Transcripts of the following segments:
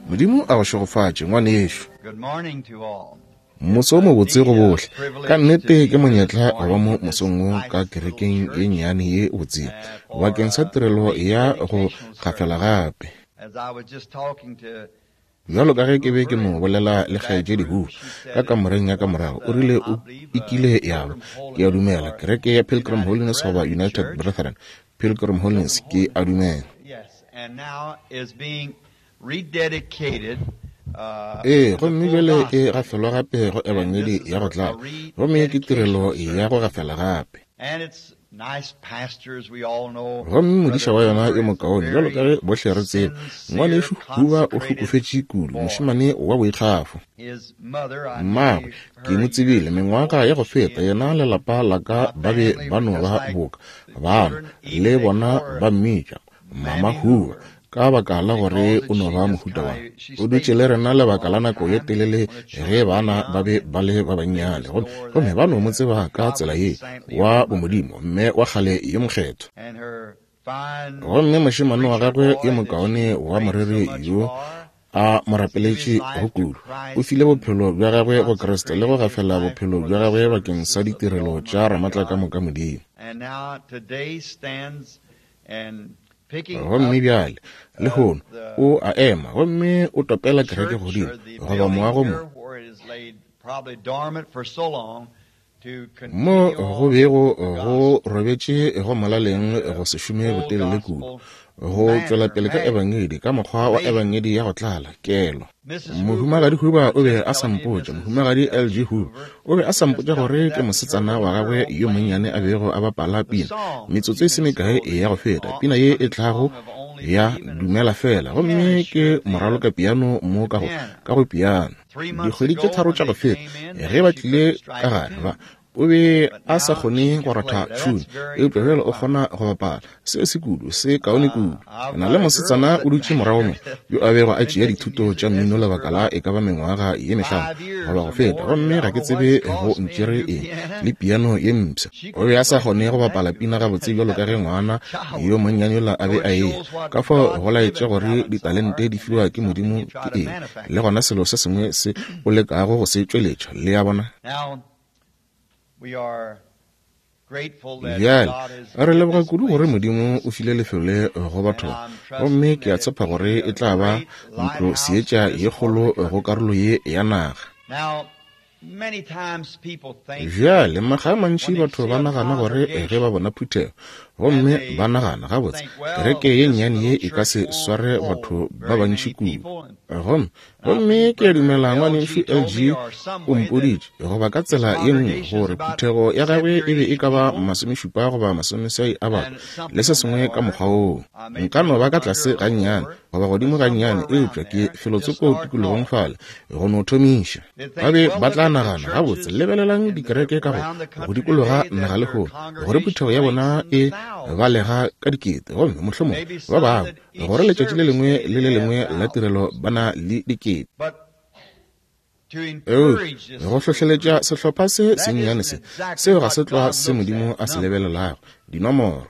Modimo a go šegofatše, ngwanešu. Moso o mobotse go bohle. Ka nnete ke monyetla go ba mo mosong wo ka kerekeng ye nnyane ye botse bakeng sa tirelo ya go gafela gape. Bjalo ka ge ke be ke no bolela le Kgaetšedi Hoover ka kamoreng ya ka morago, o rile o e kile ya ba, ke a dumela, kereke ya Pilgrim Holiness goba United Brethren. Pilgrim Holiness, ke a dumela. Ee, gomme bjale e gafelwa gape go Ebangedi ya go tlala, gomme ke tirelo ya go gafela gape. Gomme modiša wa yona yo mokaone, bjalo ka ge bohle re tseba, Ngwanešu Hoover o hlokofetše kudu, mošemane wa boikgafo. Mmagwe, ke mo tsebile mengwaga ya go feta, yena le lapa la ka ba be ba no ba boka bana, le bona ba mmitša Mama Hoover, ka baka la gore o no ba mohuta wa. O dutše le rena lebaka la nako ye telele ge bana ba be ba le ba bannyane, gomme ba no mo tseba ka tsela ye, wa bomodimo, mme wa kgale yo mokgethwa. Gomme mošemane wa gagwe yo mokaone wa moreri yo a mo rapeletše go kudu, o file bophelo bja gagwe go Kriste le go gafela bophelo bja gagwe bakeng sa ditirelo tša Ramatlakamoka Modimo. Gomme bjale, lehono, o a ema gomme o topela kereke godimo, goba moago mo, mo go bego go robetše go molaleng go se šome botelele kudu, go tšwela pele ka Ebangedi, ka mokgwa wa Ebangedi ya go tlala, kelo. Mohumagadi Huber o be a sa mpotša, Mohumagadi LG Huber o be a sa mpotša gore ke mosetsana wa gagwe yo monnyane a bego a bapala pina metsotso e se mekae ya go feta, pina ye e tlago ya Dumela Fela, gomme ke moraloka piano mo ka go, ka go piano. Dikgwedi tše tharo tša go feta, ge ba tlile ka gare, ba, O be a sa kgone go ratha tšhune, eupša bjale o kgona go bapala. Seo se kudu, se kaone kudu. Ke na le mosetsana o dutše morago mo, yo a bego a tšea dithuto tša mmino lebaka la e ka ba mengwaga ye mehlano goba go feta, gomme ga ke tsebe go ntšere eng, le piano ye mpsha. O be a sa kgone go bapala pina gabotse bjalo ka ge ngwana yo monnyane yola a be a eya. Ka fao go laetše gore ditalente di fiwa ke Modimo ke eng, le gona selo se sengwe se o lekago go se tšweletša, le a bona. Bjale, re leboga kudu gore Modimo o file lefelo le go batho ba, gomme ke a tshepa gore e tla ba ntlo seetša ye kgolo go karolo ye ya naga. Bjale, makga a mantši batho ba nagana gore ge ba bona phuthego, gomme ba nagana, Gabotse, kereke ye nnyane ye e ka se sware batho ba bantši kudu. Gomme Gomme ke a dumela ngwanešu LG o mpoditše, goba ka tsela ye nngwe, gore phuthego ya gagwe e be e ka ba masomešupa goba masomeswai a batho, le se sengwe ka mokgwa woo. Nka no ba ka tlase gannyane, goba godimo gannyane, eupša ke felotsoko tikologong fale, go no thomiša. Ba be ba tla nagana, Gabotse, lebelelang dikereke ka go, go dikologa naga lehono, gore phuthego ya bona e balega ka dikete, gomme mohlomongwe ba bangwe gore letšatši le lengwe le le lengwe la tirelo ba na le dikete. Eupša go hlohleletša sehlopha se sennyane se, seo ga se tlwa se Modimo a se lebelelago, dinomoro.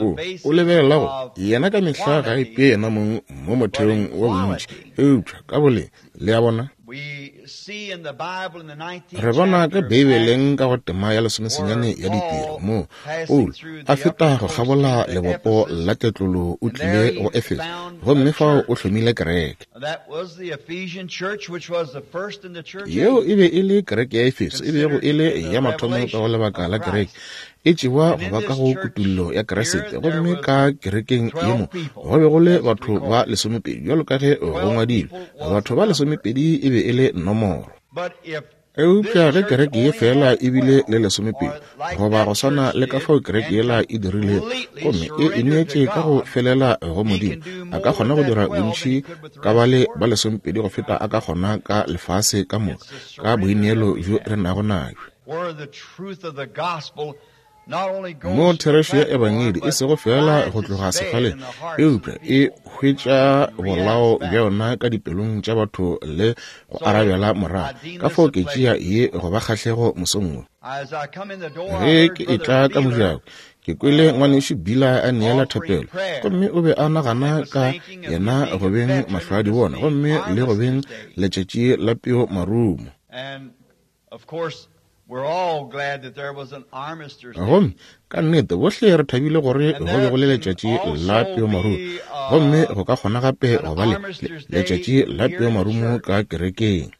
O, o lebelela go yena ka mehla ga a ipee yena mong mo motheong wa bontši, eupša ka boleng, le a bona. Re bona ka Beibeleng ka go tema ya lesomesenyane ya Ditiro, moo Paulo a feta go kgabola lebopo la tletlolo o tlile go Efeso, gomme fao o hlomile kereke. Yeo e be e le kereke ya Efeso, e bego e le ya mathomo ka go lebaka la kereke, e tšewa go ba ka go kutullo ya Kriste. Gomme ka kerekeng ye mo go be go le batho ba lesomepedi, bjalo ka ge go ngwadilwe, batho ba lesomepedi e be e le nomoro. Eupša ge kereke ye feela e bile le lesomepedi, goba go swana le ka fao kereke yela e dirilego, gomme e ineetše ka go felela go Modimo, a ka kgona go dira bontši ka bale ba lesomepedi go feta a ka kgona ka lefase ka moka, ka boineelo bjo re nago nabjo. Moo therešo ya Ebangedi e sego feela go tloga sefaleng, eupša e hwetša bolao bja yona ka dipelong tša batho le go arabela morago. Ka fao ke tšea ye go ba kgahlego mosong wo. Ge ke etla ka mojako, ke kwele ngwanešu Bila a neela thapelo, gomme o be a nagana ka yena go beng mahlwaadibona gomme le go beng letšatši la peo marumo. Gomme ka nnete bohle re thabile gore go be go le letšatši la peo marumo, gomme go ka kgona gape go ba le letšatši la peo marumo ka kerekeng.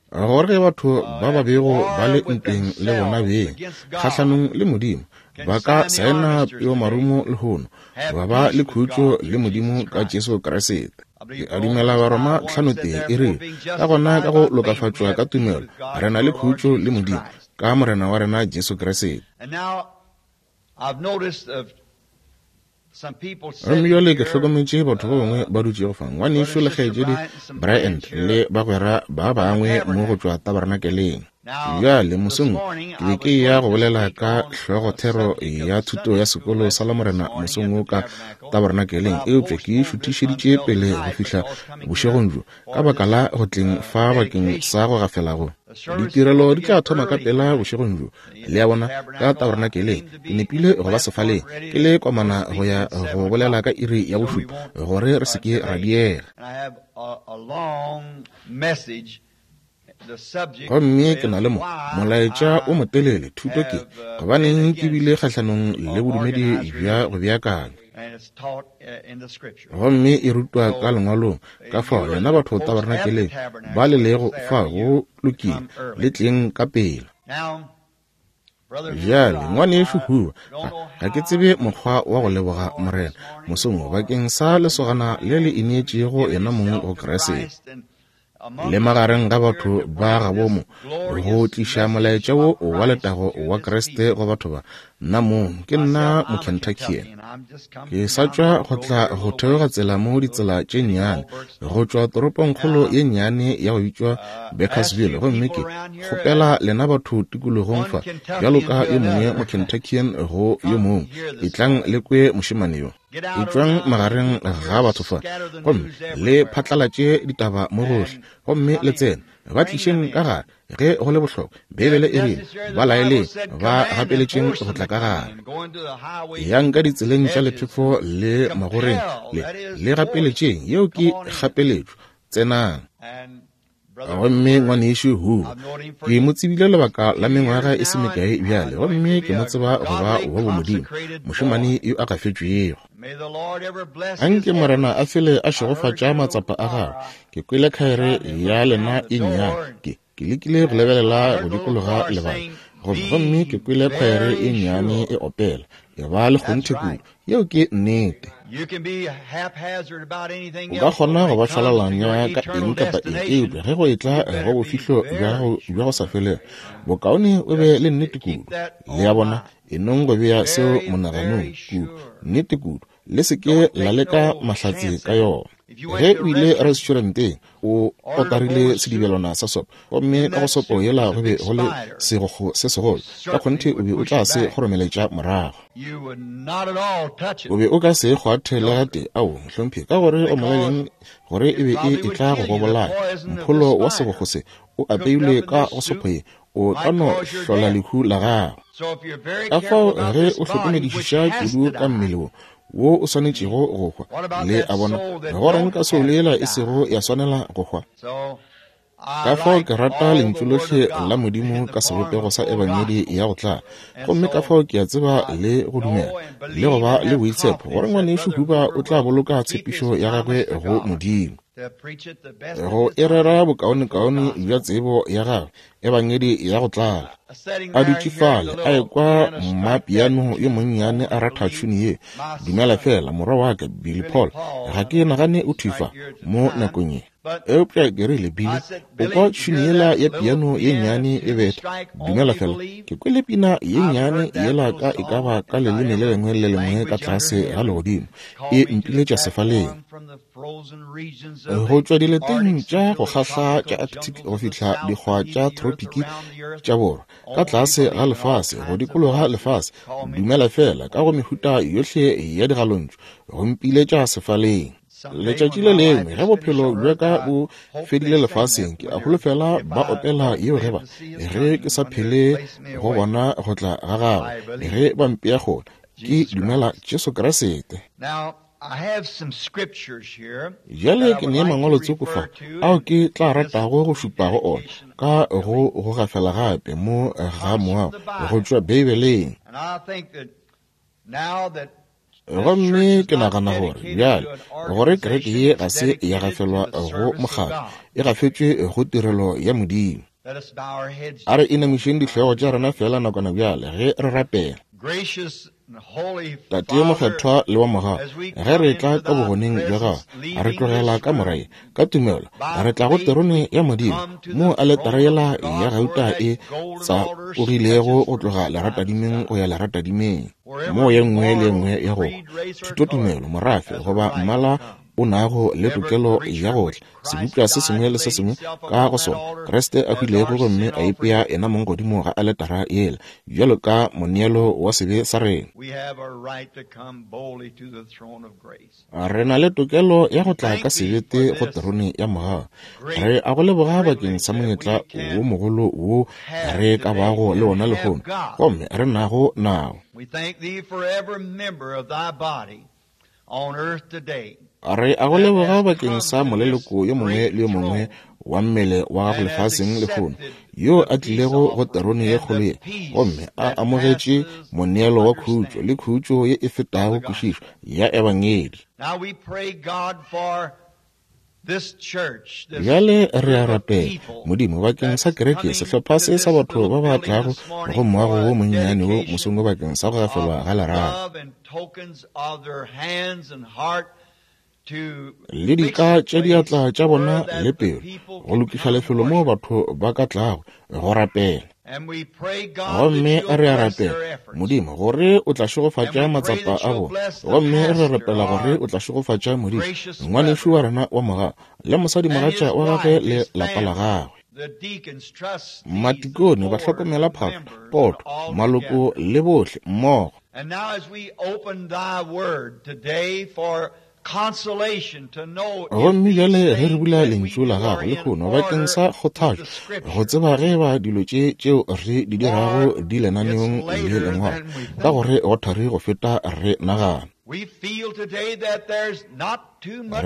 Gore ge batho ba ba bego ba le ntweng le bona beng kgahlanong le Modimo ba ka saena peo marumo lehono, ba ba le khutšo le Modimo ka Jesu Kriste. Ke a dumela Baroma 5:1 e re, ka gona ka go lokafatšwa ka tumelo re na le khutšo le Modimo ka Morena wa rena Jesu Kriste. Gomme bjale ke hlokometše batho ba bangwe ba dutšego fa, ngwanešu le kgaetšedi Bryant le bagwera ba bangwe mo go tšwa tabernakeleng. Bjale mosong wo ke be ke ya go bolela ka hlogothero ya thuto ya sekolo sa Lamorena mosong wo ka tabernakeleng, eupša ke e šuthišeditše pele go fihla bošegong bjo ka baka la go tleng fa bakeng sa go gafela go. Ditirelo di tla thoma ka pela bošegong bjo, le a bona, ka tabernakeleng. Ke nepile go ba sefaleng ke le komana go ya go bolela ka iri ya bošupa gore re se ke ra diega. Gomme ke na le mo molaetša o motelele, thuto ke gobaneng ke bile kgahlanong le bodumedi bja go beakanya, gomme e rutwa ka lengwalong. Ka fao lena batho tabernakeleng ba le lego fa, go lokile, le tleng ka pela. Bjale ngwanešu Hoover, ga ke tsebe mokgwa wa go leboga Morena mosong wo bakeng sa lesogana le le ineetšego yena mong go Kriste, le magareng ga batho ba gabo mo, go tliša molaetša wo wa letago wa Kriste go batho ba. Nna mong ke nna Mokentuckian, ke sa tšwa go tla go theoga tsela mo ditsela tše nnyane go tšwa toropongkgolo ye nnyane ya go bitšwa Bakersville, gomme ke kgopela lena batho tikologong fa, bjalo ka yo mongwe Mokentuckian go yo mongwe, etlang le kwe mošemane yo. Etšwang magareng ga batho fa, gomme le phatlalatše ditaba mo gohle, gomme le tsene, ba tlišeng ka gare ge go le bohlokwa. Beibele e rile, ba laeleng, ba gapeletšeng go tla ka gare. Yang ka ditseleng tša lephefo le magoreng, le gapeletšeng, yeo ke kgapeletšo, tsenang. Gomme ngwanešu Hoover, ke mo tsebile lebaka la mengwaga e se mekae bjale, gomme ke mo tseba go ba wa bomodimo, mošemane yo a gafetšwego. Anke Morena a fele a šegofatša matsapa a gagwe. Ke kwele khaere ya lena e nnyane, ke lekile go lebelela go dikologa lebala, gomme ke kwele khaere e nnyane e opela, e ba le kgonthe kudu. Yeo ke nnete. O ka kgona go ba šwalalanya ka eng kapa eng, eupša ge go etla go bofihlo bja gago bja go sa felego, bokaone o be le nnete kudu. Le a bona, e nong go bea seo monaganong kudu, nnete kudu. Le se ke la leka mahlatse ka yona. Ge o ile restauranteng, o otarile sedibelwana sa sopo, gomme ka go sopo yela go be go le segokgo se segolo, ka kgonthe o be o tla se kgoromeletša morago. O be o ka se kgwathe le gatee, ao, mohlomphegi, ka gore o molaleng gore e be e etla go go bolaya. Mpholo wa segokgo se o apeilwe ka go sopo ye, o ka no hlola lehu la gago. Ka fao ge o hlokomedišiša kudu ka mmele wo wo o swanetšego go hwa, le a bona, go reng ka soulo yela e sego ya swanela go hwa? Ka fao ke rata lentšu lohle la Modimo ka sebopego sa Ebangedi ya go tlala, gomme ka fao ke a tseba le go dumela le go ba le boitshepo gore ngwanešu Huber o tla boloka tshepišo ya gagwe go Modimo, go e rera bokaonekaone bja tsebo ya gagwe, Ebangedi ya go tlala. A dutše fale a ekwa mmapiano yo monnyane a ratha tšhuni ye, Dumela fela, morwa wa ka Billy Paul, ga ke nagane o thwi fa mo nakong ye. Eupša ke rile, Billy, o kwa tšhuni yela ya piano ye nnyane e betha? Dumela fela, ke kwele pina ye nnyane yela ka e ka ba ka leleme le lengwe le lengwe ka tlase ga legodimo, e mpiletša sefaleng. Go tšwa dileteng tša go kgahla tša Arctic go fihla dikgwa tša tropiki tša borwa, ka tlase ga lefase, go dikologa lefase, dumela fela, ka go mehuta yohle ya digalontšu, go mpiletša sefaleng. Letšatši le lengwe ge bophelo bja ka bo fedile lefaseng, ke a holofela ba opela yeo ge ba, ge ke sa phele go bona go tla ga gagwe, ge ba mpea kgole, ke dumela Jesu Kriste. Bjale ke ne mangwalo tsoko fa ao ke tla ratago go šupa go ona ka go go gafela gape mo ga moago go tšwa Beibeleng. Gomme ke nagana gore bjale gore kereke ye ga se ya gafelwa go mokgatlo, e gafetšwe go tirelo ya Modimo. A re inamišeng dihlogo tša rena feela nakwana bjale ge re rapela. Tate yo mokgethwa le wa mogau, ge re tla ka bogoneng bja gago, re tlogela ka morae ka tumelo, re tla go terone ya Modimo, moo aletara yela ya gauta e tsapogilego go tloga leratadimeng go ya leratadimeng, moo ye nngwe le ye nngwe ya go thutotumelo, morafe goba mmala o nago le tokelo ya go tla sebopša se sengwe le se sengwe ka go sona, Kriste a hwilego gomme a ipea yena mong godimo ga aletara yela bjalo ka moneelo wa sebe sa rena. Re na le tokelo ya go tla ka sebete go terone ya mogau. Re a go leboga bakeng sa monyetla wo mogolo wo re ka bago le wona lehono gomme re nago nao. Re a go leboga bakeng sa moleloko yo mongwe le yo mongwe wa mmele wa gago lefaseng lehono yo a tlilego go terone ye kgolo ye gomme a amogetše moneelo wa khutšo le khutšo ye e fetago kwešišo ya Ebangedi. Bjale re a rapela, Modimo, bakeng sa kereke, sehlopha se sa batho ba ba tlago go moago wo monnyane wo mosong wo bakeng sa go gafelwa ga lerato le dika tša diatla tša bona le pelo, go lokiša lefelo moo batho ba ka tlago go rapela. Gomme re a rapela, Modimo, gore o tla šegofatša matsapa a bona. Gomme re rapela gore o tla šegofatša Modimo, ngwanešu wa rena wa mogau, le mosadimogatša wa gagwe le lapa la gagwe. Matikone, bahlokomela phahlo, poto, maloko le bohle mmogo. Gomme bjale ge re bula Lentšu la Gago lehono bakeng sa kgothatšo, go tseba ge eba dilo tše tšeo re di dirago di lenaneong le Lengwalo, ka gore go thari go feta re nagana. Re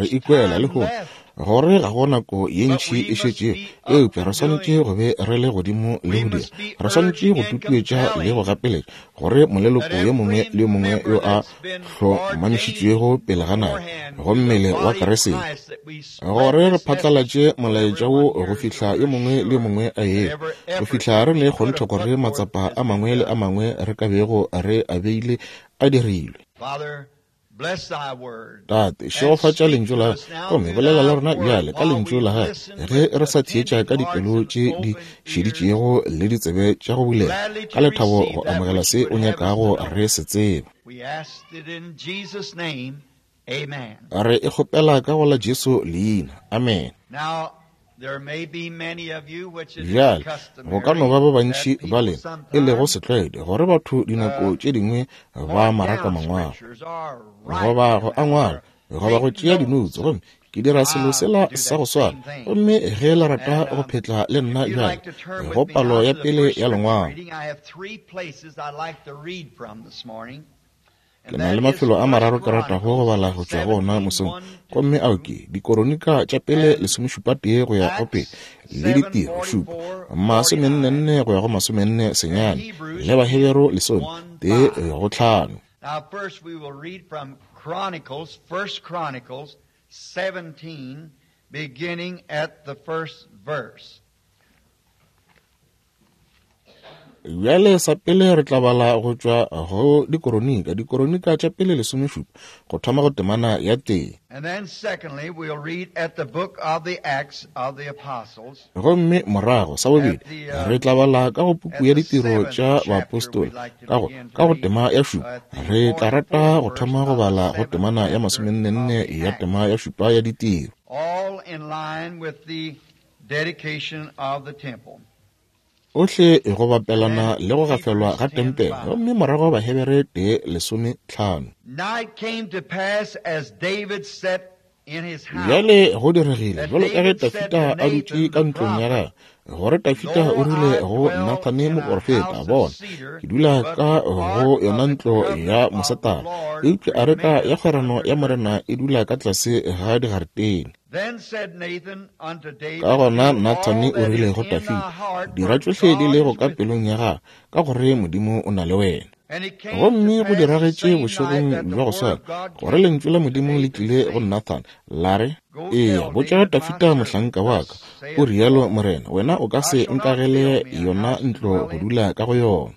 ikwela lehono gore ga go nako ye ntši e šetšego, eupša re swanetše go be re le godimo le go dira. Re swanetše go tutuetša le go gapeletša gore moleloko yo mongwe le yo mongwe yo a hlomamišitšwego pele ga nako go mmele wa Kriste, gore re phatlalatše molaetša wo go fihla yo mongwe le yo mongwe a ye, go fihla re ne kgonthe gore matsapa a mangwe le a mangwe re ka bego re a beile a dirilwe. Tate, šegofatša Lentšu la Gago, gomme bolela le rena bjale ka Lentšu la Gago, ge re sa theetša ka dipelo tše di šeditšego le ditsebe tša go bulega, ka lethabo go amogela se O nyakago re se tseba. Re e kgopela ka go la Jesu leina. Amene. Bjale, go ka no ba ba bantši ba lena e lego setlwaedi gore batho dinako tše dingwe ba maraka mangwalo goba go a ngwala goba go tšea dinoutse, gomme ke dira selo sela sa go swana. Gomme ge le rata go phetla le nna bjale go palo ya pele ya lengwalo, ke na le mafelo a mararo ke ratago go bala go tšwa go ona mosong, gomme ao ke Dikoronika tša pele 17 go ya go pele, le Ditiro 7 44 go ya go 49, le Baheberu 11 go 5. Now first we will read from Chronicles, 1 Chronicles 17, beginning at the first verse. Bjale sa pele re tla bala go tšwa go Dikoronika, Dikoronika tša pele 17, go thoma go temana ya tee. And then secondly we'll read at the book of the Acts of the Apostles. Gomme morago sa bobedi re tla bala ka go puku ya Ditiro tša Baapostola, ka go tema ya šupa. Re tla rata go thoma go bala go temana ya 44 ya tema ya šupa ya Ditiro. All in line with the dedication of the temple. Ohle go bapelana le go gafelwa ga tempele, gomme morago Bahebere 1:15. Now it came to pass as David sat Bjale go diregile bjalo ka ge Dafida a dutše ka ntlong ya gagwe, gore Dafida o rile go Nathane moporofeta, Bona, ke dula ka go yona ntlo ya mosetara, eupša areka ya kgwerano ya Morena e dula ka tlase ga digaretene. Ka gona Nathane o rile go Dafida, Dira tšohle di lego ka pelong ya gago, ka gore Modimo o na le wena. Gomme go diragetše bošegong bja go swana gore lentšu la Modimo le tlile go Nathan la re, Eya, botša Dafida mohlanka wa ka, o rialo Morena, wena o ka se nkagele yona ntlo go dula ka go yona.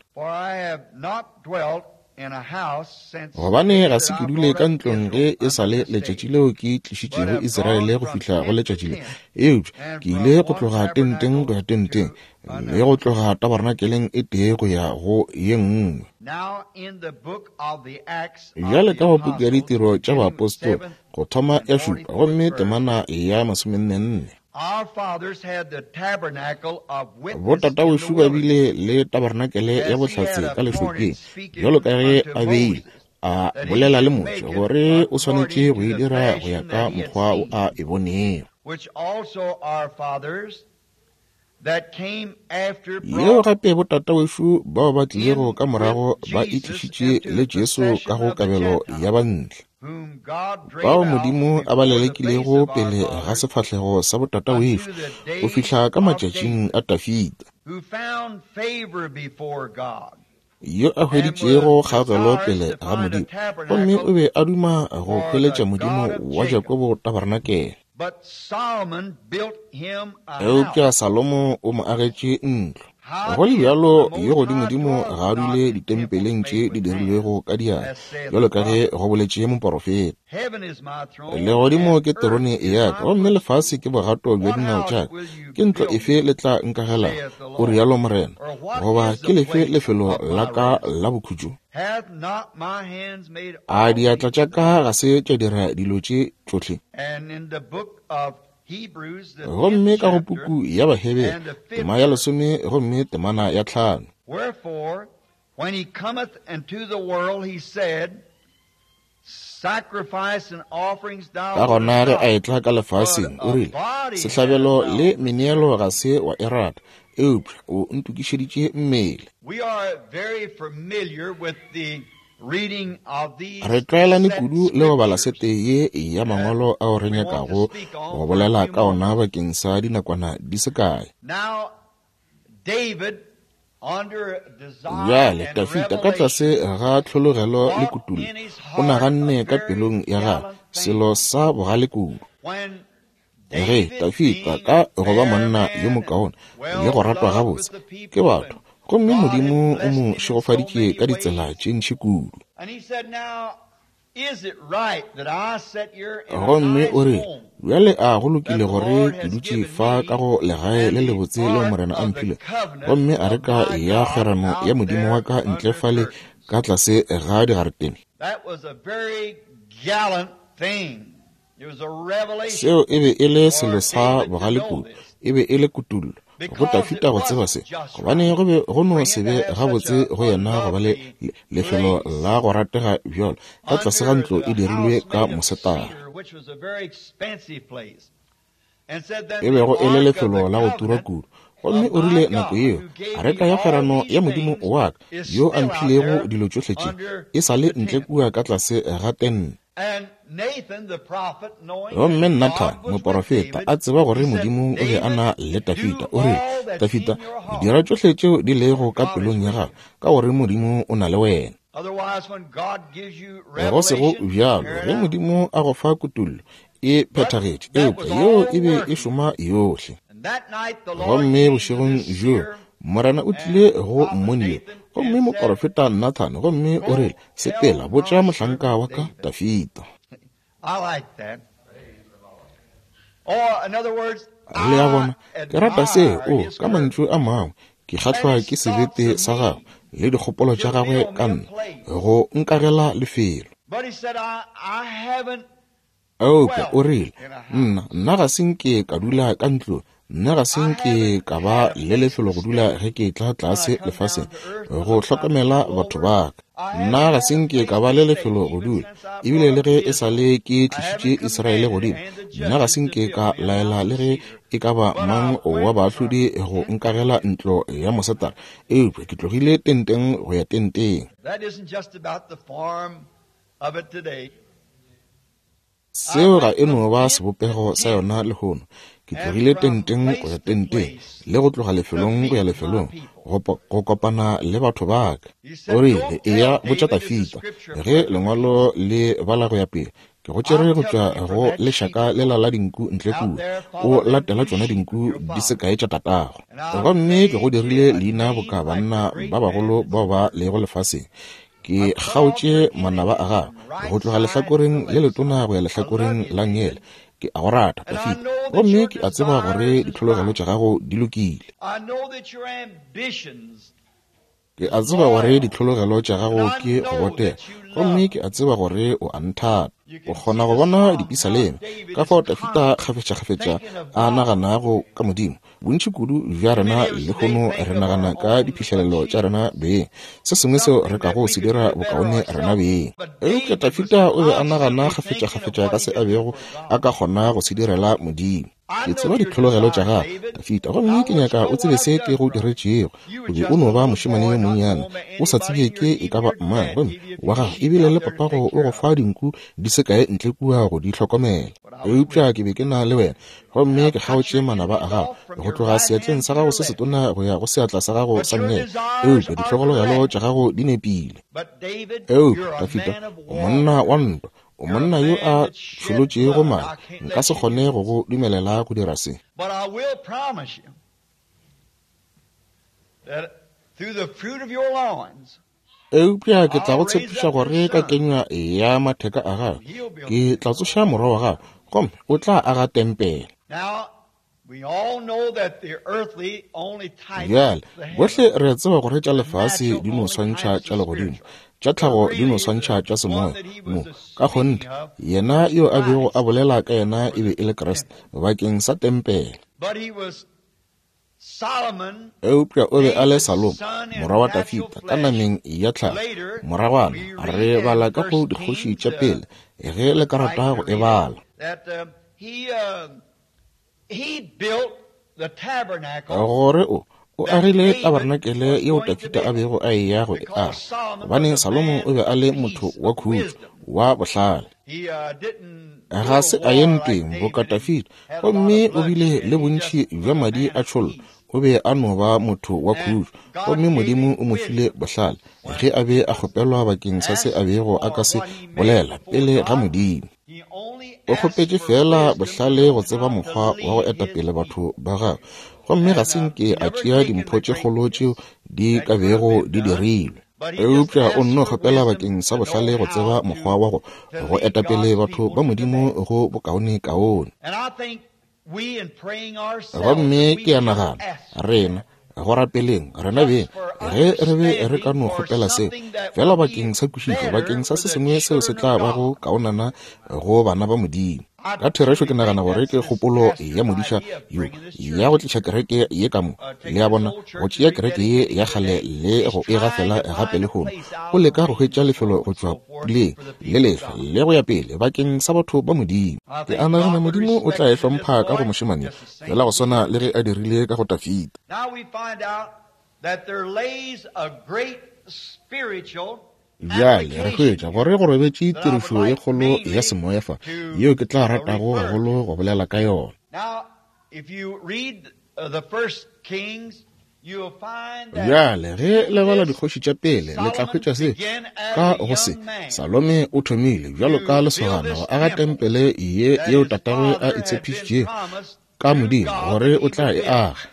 Gobane ga se ke dule ka ntlong ge e sa le letšatši leo ke tlišitšego Iseraele go fihla go letšatši le, eupša ke ile go tloga tenteng go ya tenteng, le go tloga tabernakeleng e tee go ya go ye nngwe. Bjale ka go puku ya Ditiro tša Baapostola, go thoma ya šupa gomme temana ya masomennenne. Botatawešu ba bile le tabernakele ya bohlatse ka lešokeng, bjalo ka ge a beile a bolela le Moshe gore o swanetše go e dira go ya ka mokgwa o a e bonego. Yeo gape botatawešu bao ba tlilego ka morago ba e tlišitše le Jesu ka go kabelo ya bantle, bao Modimo a ba lelekilego pele ga sefahlego sa botatawešu go fihla ka matšatšing a Dafida, yo a hweditšego kgaogelo pele ga Modimo, gomme o be a duma go hweletša Modimo wa Jakobo tabarenakele. Eupša Salomo o mo agetše ntlo. Go le bjalo, yo Godimodimo ga a dule ditempeleng tše di dirilwego ka diatla, bjalo ka ge go boletše moporofeta. Legodimo ke terone ya ka, gomme lefase ke bogato bja dinao tša ka. Ke ntlo efe le tla nkagelago, o rialo Morena, goba ke lefe lefelo la ka la bokhutšo? A diatla tša ka ga se tša dira dilo tše tšohle? Gomme ka go puku ya Bahebere, tema ya lesome gomme temana ya 5. Wherefore, when he cometh into the world, he said, Sacrifice and offerings thou Ka gona ge a wouldest not, etla ka lefaseng, o but a rile, body Sehlabelo hast thou le meneelo ga se wa e rata, eupša o ntokišeditše mmele. We are very familiar with the reading of these Re tlwaelane set kudu le go bala scriptures sete ye ya that mangwalo ao re we want to nyakago speak go on for a bolela few ka ona moments. bakeng sa dinakwana di se kae. Now, David, under desire Bjale and Dafida ka tlase revelation, ga tlhologelo le thought kutullo, in his o heart a naganne ka very pelong ya gagwe gallant thing. selo sa bogale kudu. When Ge David, Dafida being ka a go ba fair monna yo man and mokaone le well go ratwa loved gabotse with the ke people, batho, and gomme God had Modimo o blessed mo him in so šegofaditše many ka ditsela ways. tše ntši kudu. And he said, Now, is it right that I sit here in a Gomme nice o rile, home Bjale a go that lokile the gore Lord ke has dutše given fa ka me go legae and le the lebotse leo ark Morena a of the mphile, covenant gomme of areka my ya God kgwerano ya out Modimo wa there ka ntle under fale curtains? ka tlase ga digaretene? That was a very gallant thing. It was a revelation Seo e be e le for selo sa David to bogale know kudu, this e be e le kutullo go because it Dafida go tseba wasn't se, just gobane right go be go no for se him to be have such gabotse a go yena go ba le unlovely lefelo place la go ratega bjalo ka tlase ga under ntlo e the dirilwe house ka made of mosetara, cedar, which was a very expensive place. And said, Then e the bego e le ark of the lefelo la go tura covenant kudu. Gomme of o my rile nako God, yeo, who gave areka me ya all kgwerano these ya Modimo things, wa ka, is yo a still out mphilego there dilo tšohle tše, under e sa le the ntle tent. kua ka tlase ga tente. And Nathan the prophet, knowing Gomme that Nathan God was with moporofeta David, a tseba gore he said, Modimo o be a David, na le Dafida, do o rile, all that's Dafida, in your heart, dira tšohle tšeo di lego ka God is pelong ya with gago, you. ka gore Modimo o na le wena. Otherwise, when God gives you Go sego revelation, bjalo, carry it ge out. Modimo a go fa kutullo, e But phethagetše, that eupša was yeo all e be e working. šoma yohle. And that night the Lord Gomme came to bošegong this bjoo seer Morena o and tlile go prophet mmoni yo, Nathan gomme and said, moporofeta Nathan, gomme o Go rile, Sepela, tell botša my mohlanka servant wa ka David. Dafida. I like that. Or, in other words, Le a I bona, ke rata se, admire o, his ka mantšu courage. a mangwe, ke And kgahlwa his ke thoughts sebete of sa gagwe me le dikgopolo tša to gagwe build ka me a nna, place. go nkagela lefelo. But he said, I haven't Eupša o dwelt rile, in a Nna, house. nna ga se nke ka dula ka ntlong, nna ga se I nke haven't ka ba had a le place lefelo to go dula stay ge ke tla when I tlase come lefaseng down to earth go because my hlokomela people batho over ba ka. Nna ga se nke ka ba le lefelo go dula, ebile le ge e sa le ke tlišitše Israele godimo, nna ga se nke ka laela le ge e ka ba mang wa baahlodi go nkagela ntlo ya mosetara, eupša ke tlogile tenteng go ya tenteng. Seo ga e no ba sebopego sa yona lehono. Ke tlogile tenteng go ya tenteng, le go tloga lefelong go ya lefelong, go kopana le batho ba ka. O rile, eya botša Dafida, ge lengwalo le bala go ya pele, ke go tšere go tšwa go lešaka lela la dinku ntle kua, o latela tšona dinku di se kae tša tatago. Gomme ke go dirile leina boka banna ba bagolo bao ba lego lefaseng. Ke kgaotše manaba a gago go tloga lehlakoreng le letona go ya lehlakoreng la ngele. Ke a go rata, Dafida, gomme ke a tseba gore ditlhologelo tša gago di lokile. Ke a tseba gore ditlhologelo tša gago ke go botega, gomme ke a tseba gore o a nthata. O kgona go bona dipisaleme ka fao Dafida kgafetšakgafetša a naganago ka Modimo. Bontši kudu bja rena lehono re nagana ka diphihlelelo tša rena beng, se sengwe seo re kago se dira bokaone rena beng. Eupša Dafida o be a nagana kgafetšakgafetša ka se a bego a ka kgona go se direla Modimo. Ke tseba ditlhologelo tša gago, Dafida, gomme ke nyaka o tsebe se ke go diretšego. O be o no ba mošemane yo monnyane, o sa tsebje ke e ka ba mang, gomme wa gago ebile le papago o go fa dinku di se kae ntle kua go di hlokomela. Eupša ke be ke na le wena, gomme ke kgaotše manaba a gago go tloga seatleng sa gago se setona go ya go seatla sa gago sa nngele. Eupša ditlhologelo tša gago di nepile. Eupša Dafida, o monna wa ntwa, o monna yo a tšholotšego madi, nka se kgone go go dumelela go dira se. Eupša ke tla go tshepiša gore ka kenywa ya matheka a gago ke tla tsoša morwa wa gago, gomme o tla aga tempele. Bjale bohle re tseba gore tša lefase di no swantšha tša legodimo, tša tlhago di no swantšha tša semoya. Mo ka kgonthe yena yo a bego a bolela ka yena e be e le Kriste bakeng sa tempele. Eupša o be a le Salomo, morwa wa Dafida, ka nameng ya tlhago. Moragwana re bala ka go dikgoši tša pele, ge le ka rata go e bala. Gore o agile tabernacle yeo Dafida a bego a eya go e aga, gobane Salomo o be a le motho wa khutšo, wa bohlale. Ga se a ye ntweng boka Dafida, gomme o bile le bontši bja madi a tšhollo. O be a no ba motho wa khutšo, gomme Modimo o mo file bohlale ge a be a kgopelwa bakeng sa se a bego a ka se bolela pele ga Modimo. O kgopetše fela bohlale go tseba mokgwa wa go etapele batho ba gagwe, gomme ga se nke a tšea dimpho tše kgolo tšeo di ka bego di dirilwe. Eupša o nno kgopela bakeng sa bohlale go tseba mokgwa wa go etapele batho ba Modimo go bokaonekaone. Gomme ke a nagana rena go rapeleng rena beng, ge re be re ka no kgopela seo fela bakeng sa kwešišo, bakeng sa se sengwe seo se tla bago kaonana go bana ba Modimo. Ka therešo ke nagana gore ke kgopolo ya modiša yo ya go tliša kereke ye ka mo, le a bona, go tšea kereke ye ya kgale le go e gafela gape lehono. O leka go hwetša lefelo go tšwa puleng le lehlwa le go ya pele bakeng sa batho ba Modimo. Ke a nagana Modimo o tla e hlompha ka go mošemane, fela go swana le ge a dirile ka go Dafida. Bjale re hwetša gore go robetše tirišo ye kgolo ya semoya fa, yeo ke tla ratago gagolo go bolela ka yona. Bjale ge le bala dikgoši tša pele, le tla hwetša se ka go se. Salome o thomile bjalo ka lesogana go aga tempele ye yeo tatagwe a e tshepišitšego ka Modimo gore o tla e aga.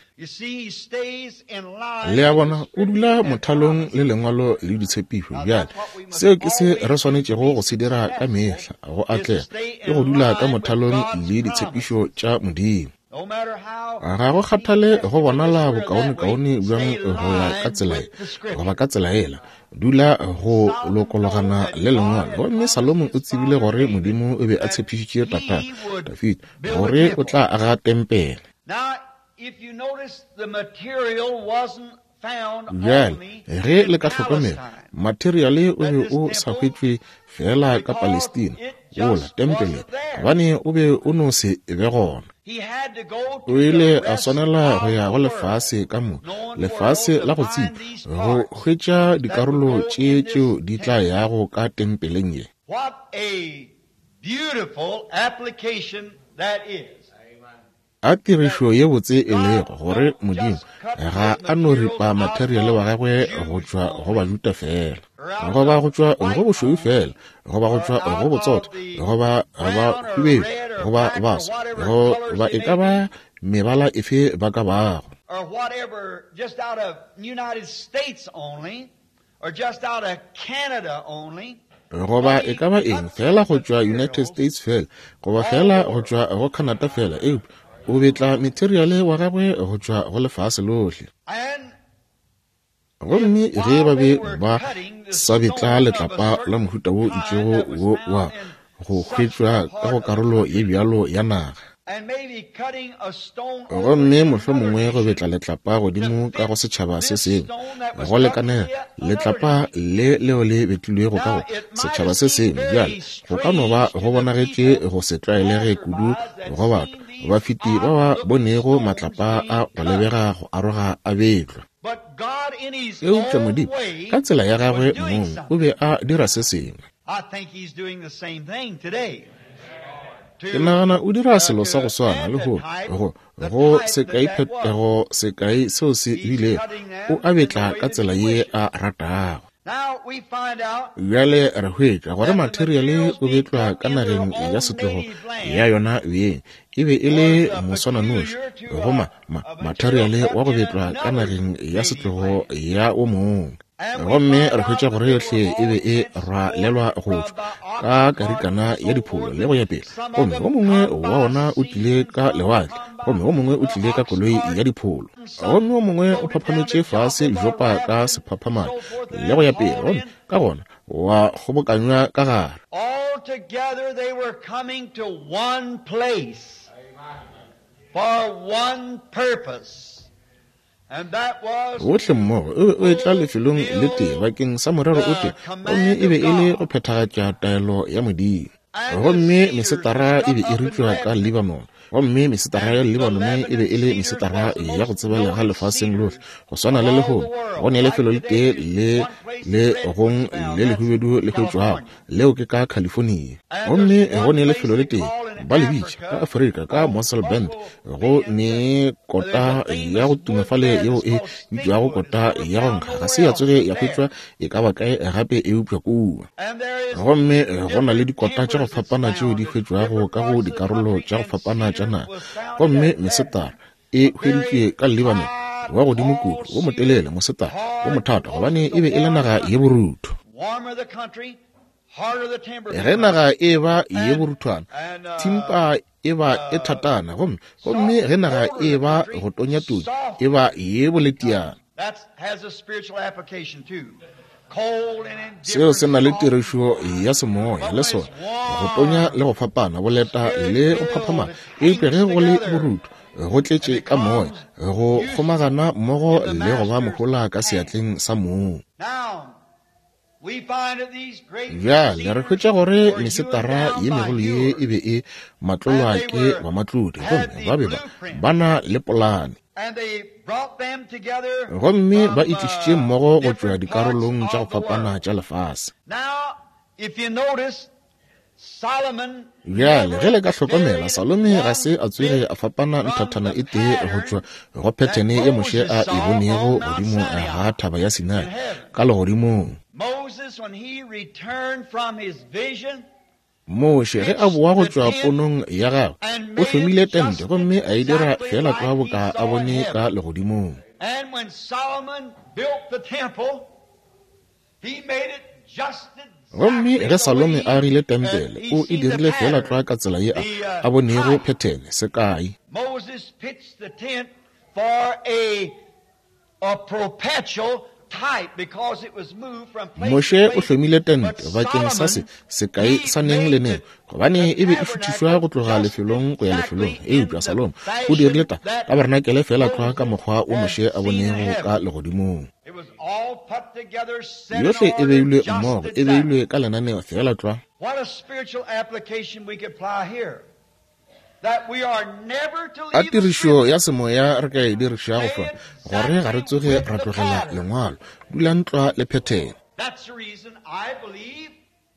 Le a bona, o dula mothalong le lengwalo le ditshepišo. Bjale seo ke se re swanetšego go se dira ka mehla go atlega, ke go dula ka mothalong le ditshepišo tša Modimo. Ga go kgathale go bonala bokaonekaone bjang go ya ka tsela ye goba ka tsela ela, dula go lokologana le lengwalo. Gomme Salomo o tsebile gore Modimo o be a tshepišitše tatagwe Dafida gore o tla aga tempele. Bjale, ge le ka hlokomela, materiale o be o sa hwetšwe feela ka Palestina, wola tempele, gobane o be o no se be gona. O ile a swanela go ya go lefase ka moka, lefase la go tsipa, go hwetša dikarolo tše tšeo di tla yago ka tempeleng ye. What a beautiful application that is. A tirišo ye botse e lego, gore Modimo ga a no ripa materiale wa gagwe go tšwa go Bajuda feela, goba go tšwa go bošweu feela, goba go tšwa go botsotho, goba ba hubedu, goba baso, goba e ka ba mebala efe ba ka bago. Or whatever, just out of United States only, or just out of Canada only. Goba e ka ba eng feela go tšwa United States feela, goba feela go tšwa go Canada feela, eupša o betla materiale wa gagwe go tšwa go lefase lohle. Gomme ge ba be ba sa betla letlapa la mohuta wo itšego wo wa go hwetšwa ka go karolo ye bjalo ya naga, gomme mohlomongwe go betla letlapa godimo ka go setšhaba se sengwe, go lekanela letlapa le leo le betlilwego ka go setšhaba se sengwe, bjale go ka no ba go bonagetše go se tlwaelege kudu go batho bafeti ba ba bonego matlapa a go lebega go aroga a betlwa. Eupša Modimo ka tsela ya gagwe mong o be a dira se sengwe. Ke nagana o dira selo sa go swana le go go go sekai phetogo sekai seo se bilego, o a betla ka tsela ye a ratago. Bjale re hwetša gore materiale o betlwa ka nageng ya setlogo ya yona beng, e be e le moswananoši go ma, ma, materiale wa go betlwa ka nageng ya setlogo ya o mongwe. Gomme re hwetša gore yohle e be e rwalelwa go tšwa ka karikana ya dipholo le go ya pele, gomme o mongwe wa ona o tlile ka lewatle, gomme o mongwe o tlile ka koloi ya dipholo, gomme o mongwe o phaphametše fase Jopa ka sephaphamane le go ya pele, gomme ka gona wa kgobokanywa ka gare. All together they were coming to one place for one purpose. Bohle mmogo o be o etla lefelong le tee bakeng sa morero o tee, gomme e be e le go phethagatša taelo ya Modimo. Gomme mesetara e be e rutšwa ka Libanon, gomme mesetara ya Libanon e be e le mesetara ya go tsebalega lefaseng lohle, go swana le lehono. Go ne lefelo le tee le le gong le lehubedu le hwetšwago, leo ke ka California. Gomme go ne lefelo le tee ba le bitša ka Afrika ka Mossel Bend, go ne kota ya go tuma fale yeo e bitšwago kota ya go nkga, ga se ya tsoge ya hwetšwa e ka ba kae gape eupša kua. Gomme go na le dikota tša go fapana tšeo di hwetšwago ka go dikarolo tša go fapana tša naga, gomme mesetara e hweditšwe ka Lebanon wa godimo kudu, wo motelele, mosetara wo mothata, gobane e be e le naga ye borutho. Ge naga e ba ye boruthwana, thimpa e ba e thatana, gomme gomme ge naga e ba go tonya todi, e ba ye boletiana. Seo se na le tirišo ya semoya le sona, go tonya le go fapana, boleta le go phaphamala. Eupša ge go le borutho, go tletše ka moya, go kgomagana mmogo le go ba mohola ka seatleng sa mong. Bjale re hwetša gore mesetara ye megolo ye e be e matlolwa ke bamatlodi, gomme ba be ba na le polane. Gomme ba e tlišitše mmogo go tšwa dikarolong tša go fapana tša lefase. Bjale ge le ka hlokomela, Salome ga se a tsoge a fapana nthathana e tee go tšwa go phethene ye Moshe a e bonego godimo ga thaba ya Sinai ka legodimong. Moshe ge a boa go tšwa ponong ya gagwe, o hlomile tente gomme a e dira feela tlwa boka a bone ka legodimong. Gomme ge Salome a agile tempele, o e dirile feela tlwa ka tsela ye a bonego phethene, sekai. Moshe o hlomile tente bakeng sa se sekai sa neng le neng, gobane e be e šuthišwa go tloga lefelong go ya lefelong. Eupša Salomo o dirile ta taberenakele feela tlwa ka mokgwa wo Moshe a bonego ka legodimong. Yohle e beilwe mmogo, e beilwe ka lenaneo feela tlwa. A tirišo ya semoya re ka e dirišago fa, gore ga re tsoge ra tlogela Lengwalo. Dulang tlwa le phethene.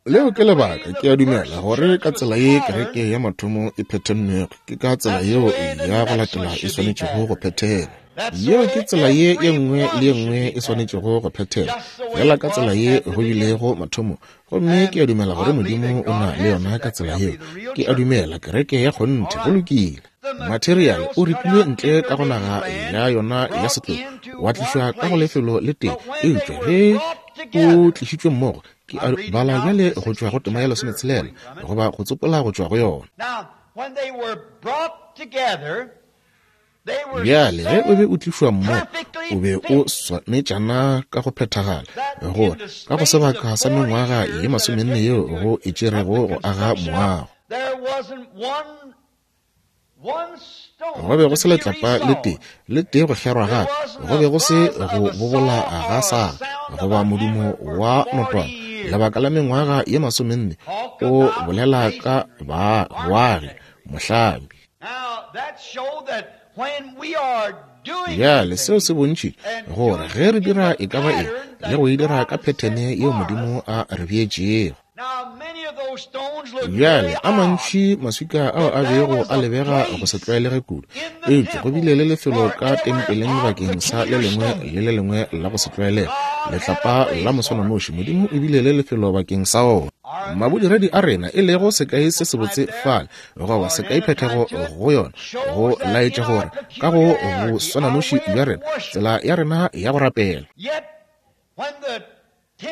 Leo ke lebaka ke a dumela gore ka tsela ye kereke ya mathomo e phethennwego, ke ka tsela yeo ya go latela e swanetšego go phethelwa. Yeo ke tsela ye ye nngwe le ye nngwe e swanetšego go phethelwa, feela ka tsela ye go bilego mathomong. Gomme ke a dumela gore Modimo o na le yona ka tsela yeo. Ke a dumela kereke ya kgonthe. Go lokile. Materiale o ripilwe ntle ka go naga ya yona ya setlogo, wa tlišwa ka go lefelo le tee, eupša ge o tlišitšwe mmogo, ke a bala bjale go tšwa go tema ya 16, goba go tsopola go tšwa go yona. Bjale ge o be o tlišwa mmogo, o be o swanetšana ka go phethagala, gore ka go sebaka sa mengwaga ye 40 yeo go e tšerego go aga moago, go be go se letlapa le tee le tee go kgerwa gape, go be go se go bobola ga saga goba modumo wa notwana. Lebaka la mengwaga ye 40 o bolela ka boagi, mohlami. Bjale seo se bontšhitše gore ge re dira e ka ba eng le go e dira ka phethene yeo Modimo a re beetšego. Bjale a mantši maswika ao a bego a lebega go se tlwaelege kudu, eupša go bile le lefelo ka tempeleng bakeng sa le lengwe le le lengwe la go se tlwaelege, letlapa la moswananoši. Modimo o bile le lefelo bakeng sa ona. Mabodiredi a rena, e lego sekai se sebotse fale, goba sekai phethego go yona, go laetša gore ka go boswananoši bja rena, tsela ya rena ya go rapela.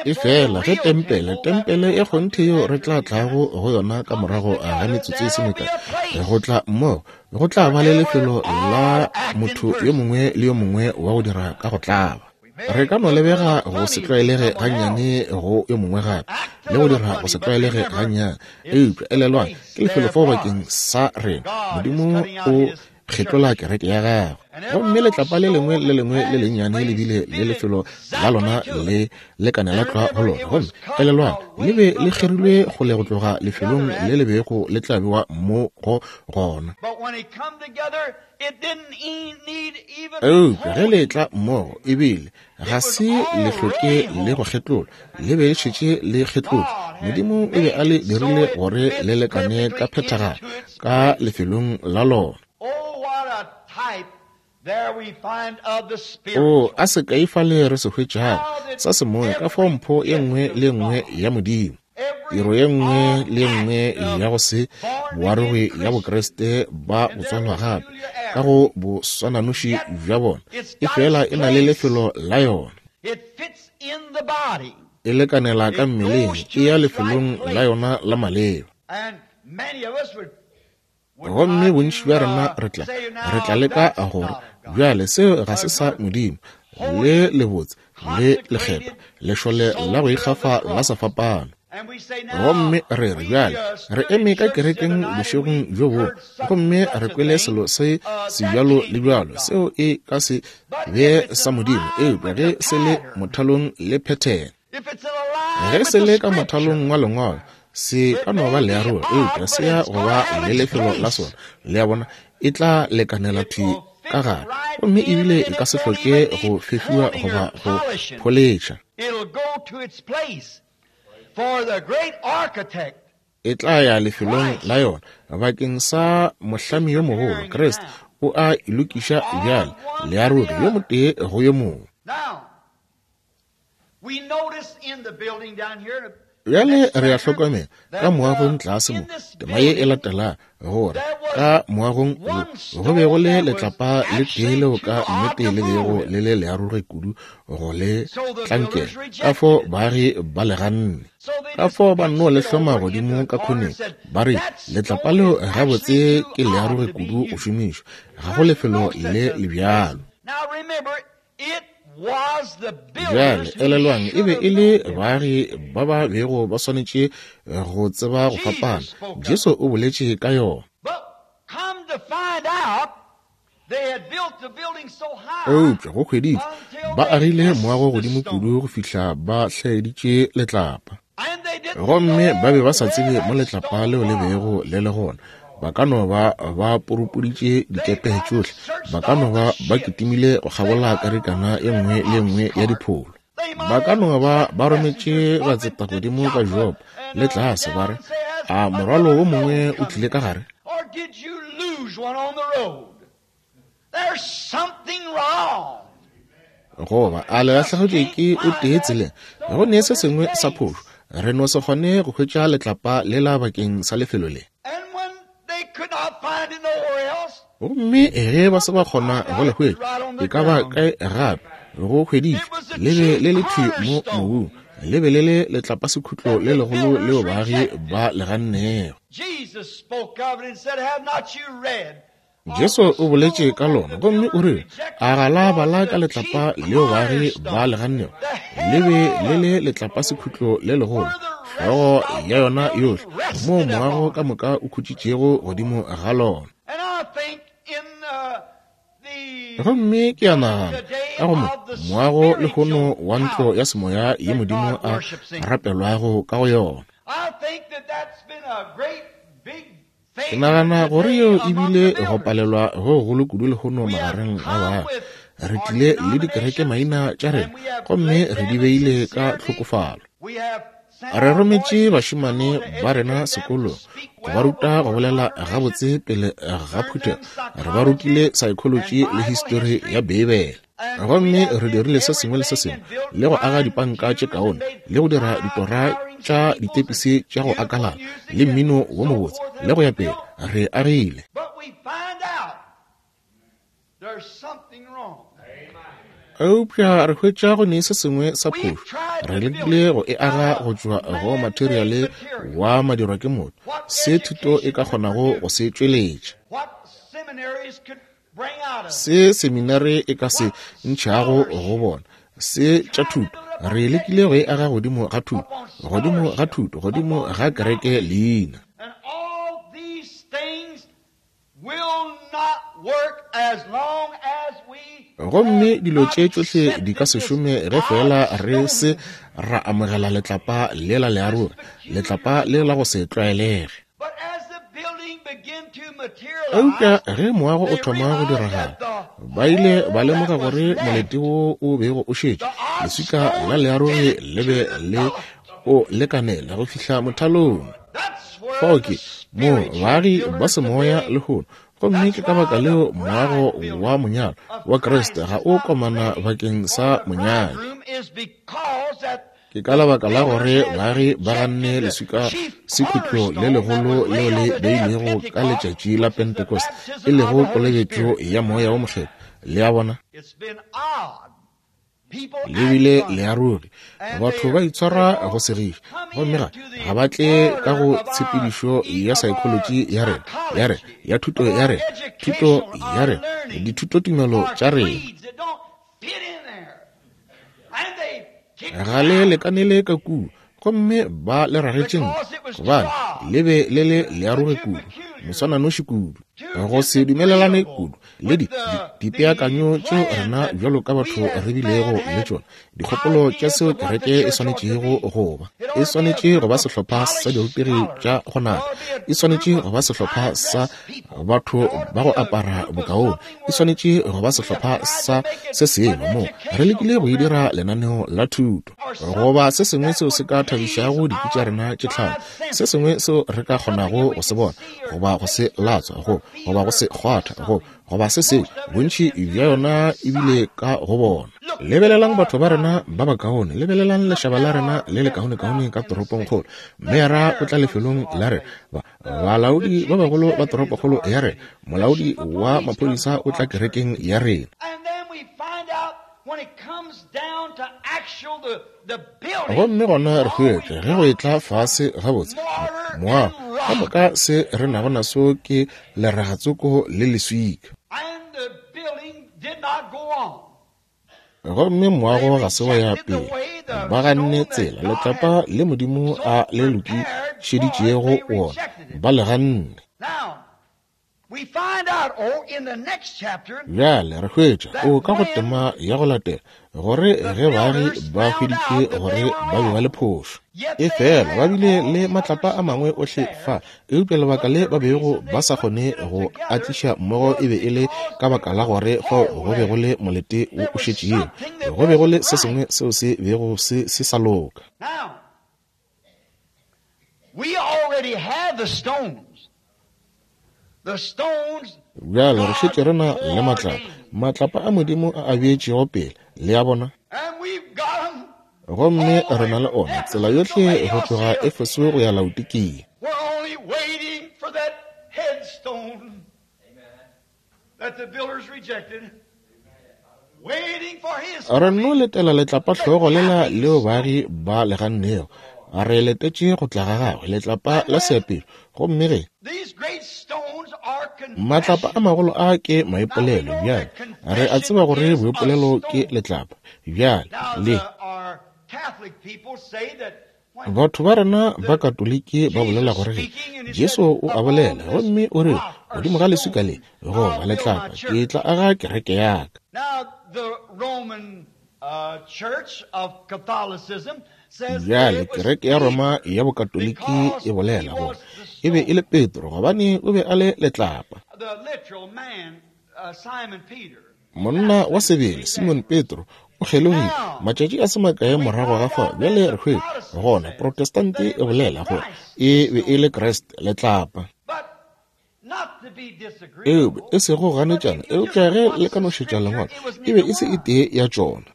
E fela ge tempele, tempele ya kgonthe yeo re tla tlago go yona ka morago ga metsotso e se mekae, go tla mmogo, go tla ba le lefelo la motho yo mongwe le yo mongwe wa go dira ka go tlaba. Re ka no lebega go se tlwaelege gannyane go yo mongwe gape, le go dira go se tlwaelege gannyane, eupša elelwang, ke lefelo fao bakeng sa rena. Modimo o kgetlola kereke ya gagwe, gomme letlapa le lengwe le lengwe le lennyane le bile le lefelo la lona le lekanela tlwa go lona. Gomme elelwang, le be le kgerilwe kgole go tloga lefelong le le bego le tla bewa mo go gona. Eupša ge le tla mmogo, ebile ga se le hloke le go kgetlolwa, le be le šetše le kgetlotšwe. Modimo o be a le dirile gore le lekane ka phethagalo ka lefelong la lona. O a sekai fale re se hwetšago sa semoya, ka fao mpho ye nngwe le ye nngwe ya Modimo, tiro ye nngwe le ye nngwe ya go se boarogi ya Bokriste ba go tswalwa gape ka go boswananoši bja bona, e fela e na le lefelo la yona. E lekanela ka mmeleng, e ya lefelong la yona la maleba. Gomme bontši bja rena re tla, re tla leka gore bjale seo ga se sa Modimo, le lebotse, le lekgethwa, lešole la go ikgafa la sefapano. Gomme re re bjale re eme ka kerekeng bošegong bjo bo, gomme re kwele selo se se bjalo le bjalo, seo e ka se be sa Modimo, eupša ge se le mothalong le phethene. Ge se le ka mothalong wa Lengwalo, se ka no ba learogo, eupša se ya go ba le lefelo la sona. Le a bona, e tla lekanela thwi ka gare, gomme ebile e ka se hloke go fefiwa goba go pholetšha. E tla ya lefelong la yona bakeng sa mohlami yo mogolo, Kriste. O a e lokiša bjale, learogi yo motee go yo mongwe. Bjale re a hlokomela ka moagong tlase mo, tema ye e latelago, gore ka moagong wo go be go le letlapa le tee leo ka nnete le bego le le learoge kudu go le tlankela, ka fo baagi ba le ganne, ka fo ba nno le hloma godimo ka khoneng, ba re letlapa leo gabotse ke learoge kudu go šomišwa, ga go lefelo le le bjalo. Bjale, elelwang, e be e le baagi ba ba bego ba swanetše go tseba go fapana. Jesu o boletše ka yona. Eupša go hweditšwe ba agile moago godimo kudu go fihla ba hlaeditše letlapa. Gomme ba be ba sa tsebe mo letlapa leo le bego le le gona. Ba ka no ba ba purupuditše dikepe tšohle. Ba ka no ba ba kitimile go kgabola karikana e nngwe le e nngwe ya dipholo. Ba ka no ba ba rometše batseta godimo ka Jopa le tlase, ba re, A morwalo wo mongwe o tlile ka gare? Goba a le lahlegetšwe ke o tee tseleng? Go ne se sengwe sa phošo. Re no se kgone go hwetša letlapa lela bakeng sa lefelo le. Gomme ge ba se ba kgona go le hwetša, e ka ba kae gape, go hweditšwe, le be le le thwi mo mobung, le be le le letlapasekhutlo le legolo leo baagi ba le gannego. Jesu o boletše ka lona gomme o rile, A ga la bala ka letlapa leo baagi ba le gannego? Le be le le letlapasekhutlo le legolo, hlogo ya yona yohle, moo moago ka moka o khutšitšego godimo ga lona. Gomme ke a nagana, ka go mo moago lehono wa ntlo ya semoya ye Modimo a rapelwago ka go yona, Ke nagana gore yeo e bile go palelwa go gogolo kudu lehono magareng ga baagi. Re tlile le dikerekemaina tša rena gomme re di beile ka tlhokofalo. Re rometše bašemane ba rena sekolong go ba ruta go bolela gabotse pele ga phuthego. Re ba rutile saekholoji le histori ya Beibele. Gomme re dirile se sengwe le se sengwe, le go aga dipanka tše kaone, le go dira ditora tša ditepisi tša go akalala, le mmino wo mobotse, le go ya pele. Re agile. Eupša re hwetša go ne se sengwe sa phošo. Re lekile go e aga go tšwa go materiale wa madirwa ke motho, se thuto e ka kgonago go se tšweletša. Se seminare e ka se ntšhago go bona, se tša thuto. Re lekile go e aga godimo ga thuto, godimo ga thuto, godimo ga kereke leina. Gomme dilo tše tšohle di ka se šome ge feela re se ra amogela letlapa lela learogi, letlapa le la go se tlwaelege. Eupša ge moago o thoma go diragala, ba ile ba lemoga gore molete wo o bego o šetše leswika la learogi le be le o lekanela go fihla mothalong. Fao ke moo baagi ba semoya lehono, gomme ke ka baka leo moago wa monyalo wa Kriste ga o komana bakeng sa monyadi. Ke ka lebaka la gore baagi ba ganne leswika sekhutlo le legolo leo le beilwego ka letšatši la Pentecost, e lego kolobetšo ya Moya wo Mokgethwa. Le a bona? Le bile le a ruri. Batho ba itshwara go segiša, gomme ga, ga ba tle ka go tshepedišo ya saekholotši ya rena, ya rena, ya thuto ya rena, thuto ya rena, dithutotumelo tša rena. Ga le lekanele ka kua, gomme ba le ragetše ntle, gobane le be le le learoge kudu, moswananoši kudu, go se dumelelane kudu le di, di, dipeakanyo tšeo rena bjalo ka batho re bilego le tšona, dikgopolo tša seo kereke e swanetšego go ba. E swanetše go ba sehlopha sa dirutegi tša go nata, e swanetše go ba sehlopha sa batho ba go apara bokaone, e swanetše go ba sehlopha sa se sengwe mo re lekile go e dira lenaneo la thuto goba se sengwe seo se ka thabišago dikwi tša rena tše tlhano, se sengwe seo re ka kgonago go se bona goba go se latswa go goba go se kgwatha go goba se sengwe. Bontši bja yona e bile ka go bona. Lebelelang batho ba rena ba bakaone, lebelelang lešaba la rena le lekaonekaone ka toropongkgolo. Meyara o tla lefelong la rena, ba Balaodi ba bagolo ba toropokgolo ya rena, molaodi wa maphodisa o tla kerekeng ya rena. Gomme gona re hwetša ge go etla fase gabotse moago ka moka se re nago naso ke leragatsoko le leswika. Gomme moago ga se wa ya pele. Ba ganne tsela, letlapa le Modimo a le lokišeditšego wona, ba le ganne. Bjale re hwetša, o ka go tema ya go latela, gore ge baagi ba hweditše gore ba be ba le phošo, efela ba bile le matlapa a mangwe ohle fa, eupša lebaka le ba bego ba sa kgone go a tliša mmogo e be e le ka baka la gore fao go be go le molete wo o šetšego, go be go le se sengwe seo se bego se se sa loka. Bjale re šetše re na le matlapa, matlapa a Modimo a a beetšego pele, le a bona. Gomme re na le ona tsela yohle go tloga Efeso go ya Laodikia. Re nno letela letlapa hlogo lela leo baagi ba le gannego. Re letetše go tla ga gagwe, letlapa la seapešo. Gomme ge matlapa a magolo a ke maipolelo, bjale re a tseba gore boipolelo ke letlapa. Bjale le batho ba rena ba Katoliki ba bolela gore ge Jesu o a bolela gomme o re godimo ga leswika le goba letlapa ke tla aga kereke ya ka. Bjale kereke ya Roma ya Bokatoliki e bolela gore e be e le Petro gobane o be a le letlapa. Monna wa sebele Simon Petro o kgelogile matšatši a se makae morago ga fao. Bjale re hwetša gona Protestante e bolela gore e be e le Kriste letlapa. Eupša e sego ganetšana, eupša ge le ka no šetša lengwalo, e be e se e tee ya tšona.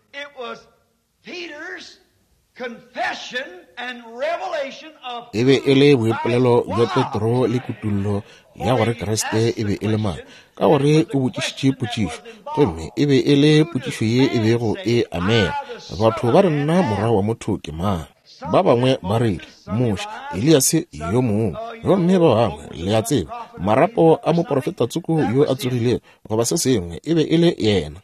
E be e le boipolelo bja Petro le kutullo ya gore Kriste e be e le mang, ka gore o botšišitše potšišo, gomme e be e le potšišo ye e bego e amega. Batho ba re nna morwa wa motho ke mang? Ba bangwe ba rile Moshe, Eliase yo mongwe, gomme ba bangwe, le a tseba, marapo a moprofeta tsoko yo a tsogilego goba se sengwe, e be e le yena.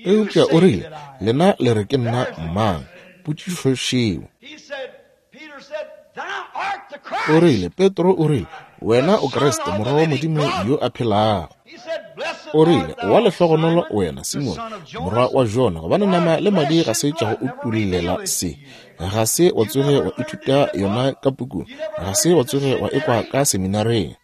Eupša o rile, lena le re ke nna mang? Potšišo šeo. O rile, Petro o rile, wena o Kriste, morwa wa Modimo yo a phelago. O rile, wa lehlogonolo wena, Simone, morwa wa Jona, gobane nama le madi ga se tša go utullela se. Ga se wa tsoge wa ithuta yona ka pukung, ga se wa tsoge wa ekwa ka seminareng.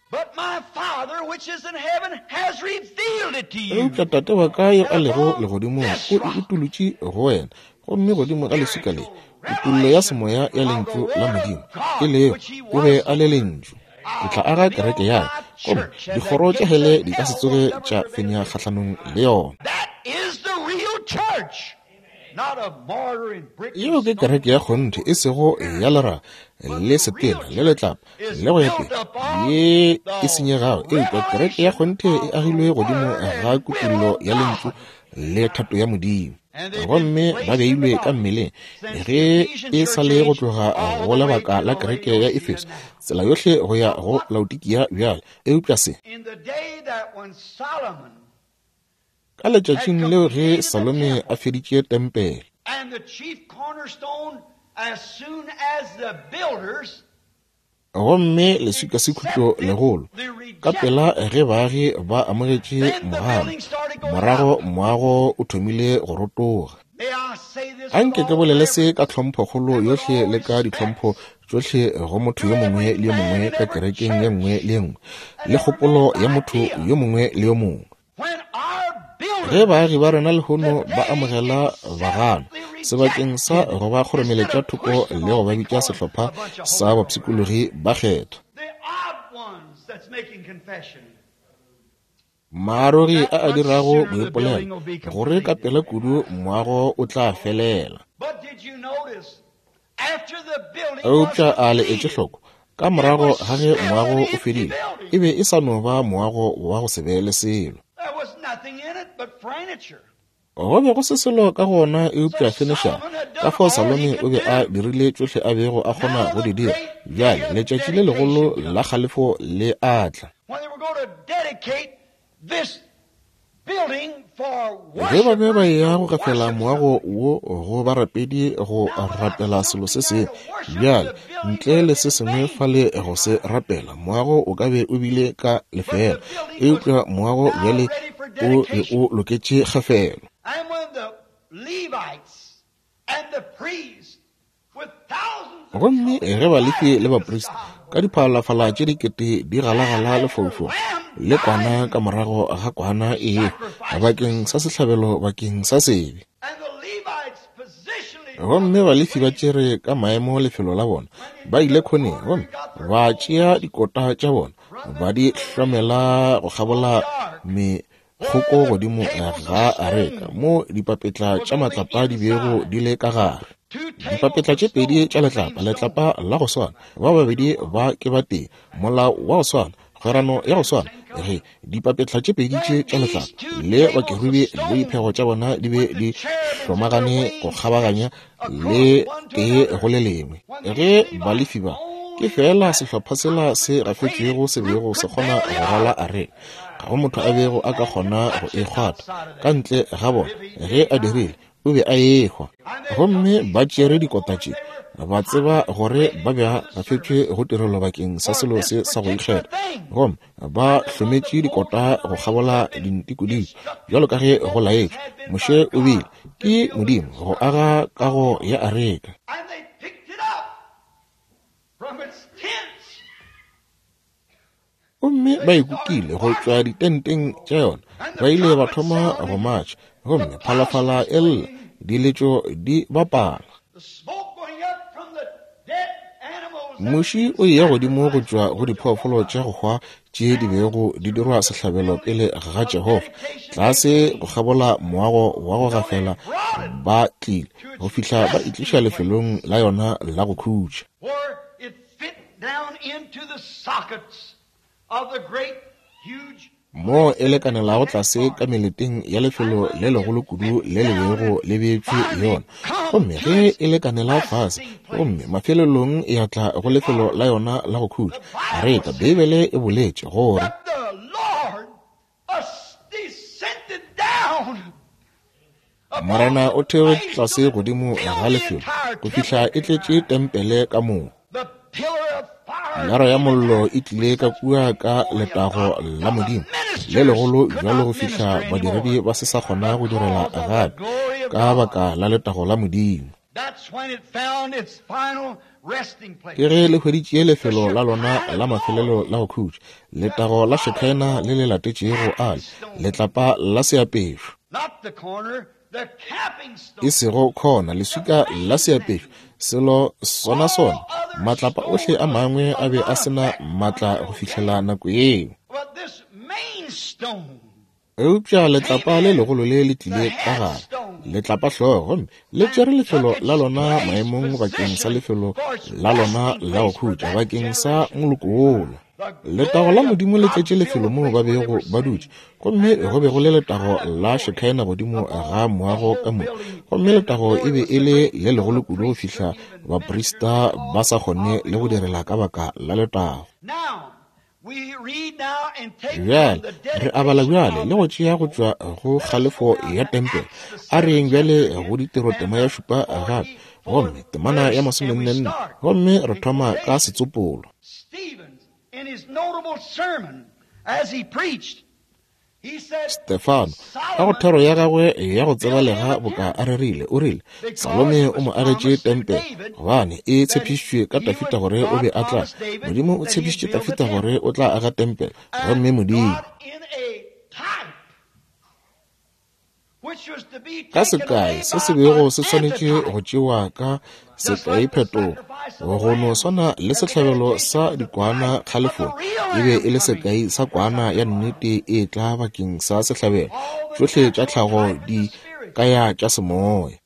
Eupša Tate wa ka yo a lego legodimong o e utolotše go wena, gomme godimo ga leswika le, kutollo ya semoya ya Lentšu la Modimo, e lego, o be a le Lentšu. Ke tla aga kereke ya ka, gomme dikgoro tša hele di ka se tsoge tša fenya kgahlanong le yona. Yeo ke kereke ya kgonthe, e sego ya leraga le setena le letlapa le go ya pele ye e senyegago, eupša kereke ya kgonthe e agilwe godimo ga kutollo ya Lentšu le thato ya Modimo, gomme ba beilwe ka mmeleng ge e sa le go tloga go lebaka la kereke ya Efeso tsela yohle go ya go Laodikia bjale. Eupša se ka letšatšing leo ge Salome a feditše tempele, gomme leswika sekhutlo legolo ka pela ge baagi ba amogetše mogano, morago moago o thomile go rotoga. Anke ke bolele se ka tlhomphokgolo yohle le ka ditlhompho tšohle go motho yo mongwe le yo mongwe ka kerekeng ye nngwe le ye nngwe le kgopolo ya motho yo mongwe le yo mongwe. Ge baagi ba rena lehono ba amogela bagano sebakeng sa go ba kgoromeletša thoko le go ba bitša sehlopha sa bapshikologi ba kgethwa, maarogi a a dirago boipolelo gore ka pela kudu moago o tla felela. Eupša a le etše hloko, ka morago ga ge moago o fedile, e be e sa no ba moago wa go se be le selo. Go be go se selo ka go ona eupša fenešara. Ka fao Salome o be a dirile tšohle a bego a kgona go di dira. Bjale letšatši le legolo la kgalefo le a tla. Ge ba be ba eya go gafela moago wo go barapedi go rapela selo se sengwe, bjale ntle le se sengwe fale go se rapela, moago o ka be o bile ka lefela, eupša moago bjale o be o loketše kgafelo. Gomme ge Balefi le baprista ka diphalafala tše dikete di galagala lefaufau le kwana ka morago ga kwana e bakeng sa sehlabelo bakeng sa sebe, gomme Balefi ba tšere ka maemo lefelo la bona, ba ile khoneng gomme ba tšea dikota tša bona ba di hlomela go kgabola mekgoko godimo ga areka mo dipapetla tša matlapa di bego di le ka gare. Dipapetla tše pedi tša letlapa, letlapa la go swana, ba babedi ba ke ba tee, molao wa go swana, kgwerano ya go swana. Ge dipapetla tše pedi tše tša letlapa le bakerubi le diphego tša bona di be di hlomagane go kgabaganya le tee go le lengwe, ge Balefi ba ke fela sehlopha sela se gafetšwego se bego se kgona go rwala areka, ga go motho a bego a ka kgona go e kgwatha ka ntle ga bona. Ge a dirile, o be a ehwa. Gomme ba tšere dikota tše, ba tseba gore ba be gafetšwe go tirelo bakeng sa selo se sa go ikgetha, gomme ba hlometše dikota go kgabola dintikodiko bjalo ka ge go laetšwe. Moshe o bile ke Modimo go aga kago ya areka. Gomme ba ikukile go tšwa ditenteng tša yona, ba ile ba thoma go matšha, gomme phalafala e lla, diletšo di bapala. Muši o eya godimo go tšwa go diphoofolo tša go hwa tše di bego di dirwa sehlabelo pele ga Jehofa, tlase go kgabola moago wa go gafela ba tlile go fihla ba itliša lefelong la yona la go khutša. Mo e lekanelago tlase ka meleteng ya lefelo le legolo kudu le le bego le beetšwe yona, gomme ge e lekanela fase, gomme mafelelong ya tla go lefelo la yona la go khutša. Areka, Beibele e boletše gore Morena o theogetše tlase godimo ga lefelo go fihla e tletše tempele ka moka. Pilara ya mollo e tlile ka kua ka letago la Modimo le legolo bjalo go fihla badiredi ba se sa kgona go direla gape ka baka la letago la Modimo. Ke ge le hweditše lefelo la lona la mafelelo la go khutša, letago la Shekinah le le latetšego ale, letlapa la seapešo. E sego khona, leswika la seapešo, selo sona sona. Matlapa ohle a mangwe a be a sena matla go fihlela nako yeo. Eupša letlapa le legolo le le tlile ka gare, letlapa hlogo, gomme le tšere lefelo la lona maemong bakeng sa lefelo la lona la go khutša bakeng sa moloko wola. Letago la Modimo le tletše lefelo moo ba bego ba dutše, gomme go be go le letago la Shekinah godimo ga moago ka moka, gomme letago e be e le le legolo kudu go fihla baprista ba sa kgone le go direla ka baka la letago. Bjale re abala bjale le go tšea go tšwa go kgalefo ya tempele. A re yeng bjale go ditiro tema ya 7 gape, gomme temana ya 44, gomme re thoma ka setsopolo. Stefano, ka go thero ya gagwe ya go tsebalega boka a rerile, o rile, Salome o mo agetše tempele, gobane e tshepišitšwe ka Dafida gore o be a tla. Modimo o tshepišitše Dafida gore o tla aga tempele, gomme Modimo ka sekai se se bego se swanetše go tšewa ka sekai phetogo, go no swana le sehlabelo sa dikwana kgalefong, e be e le sekai sa kwana ya nnete e tla bakeng sa sehlabelo. Tšohle tša tlhago di kaya tša semoya.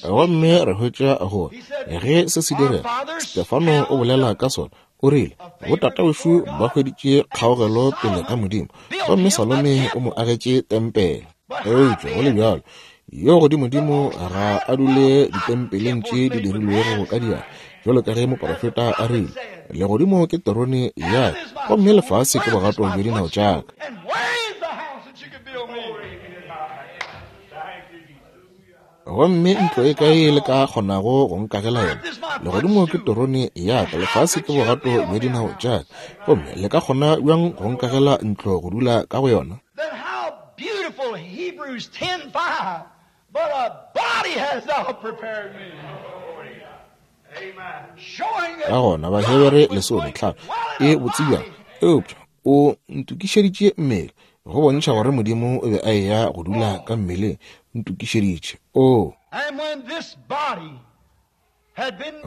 Gomme re hwetša gore ge se se direga, Stefano o bolela ka sona, o rile, botatawešo ba hweditše kgaogelo pele ga Modimo, gomme Salome o mo agetše tempele. Eupša go le bjalo, yo godimodimo ga a dule ditempeleng tše di dirilwego ka diatla. Bjalo ka ge moprofeta a rile, Legodimo ke terone ya ka, gomme lefase ke bogato bja dinao tša ka. Gomme ntlo e kae le ka kgonago go nkagela yona? Legodimo ke terone ya ka, lefase ke bogato bja dinao tša ka. Gomme le ka kgona bjang go nkagela ntlo go dula ka go yona? Then how beautiful Hebrews 10:5, but a body hast thou prepared me. Ka gona Bahebere 15 e botse bjang, eupša o ntokišeditše mmele, go bontšha gore Modimo o be a eya go dula ka mmeleng. Ntokišeditše. Oo.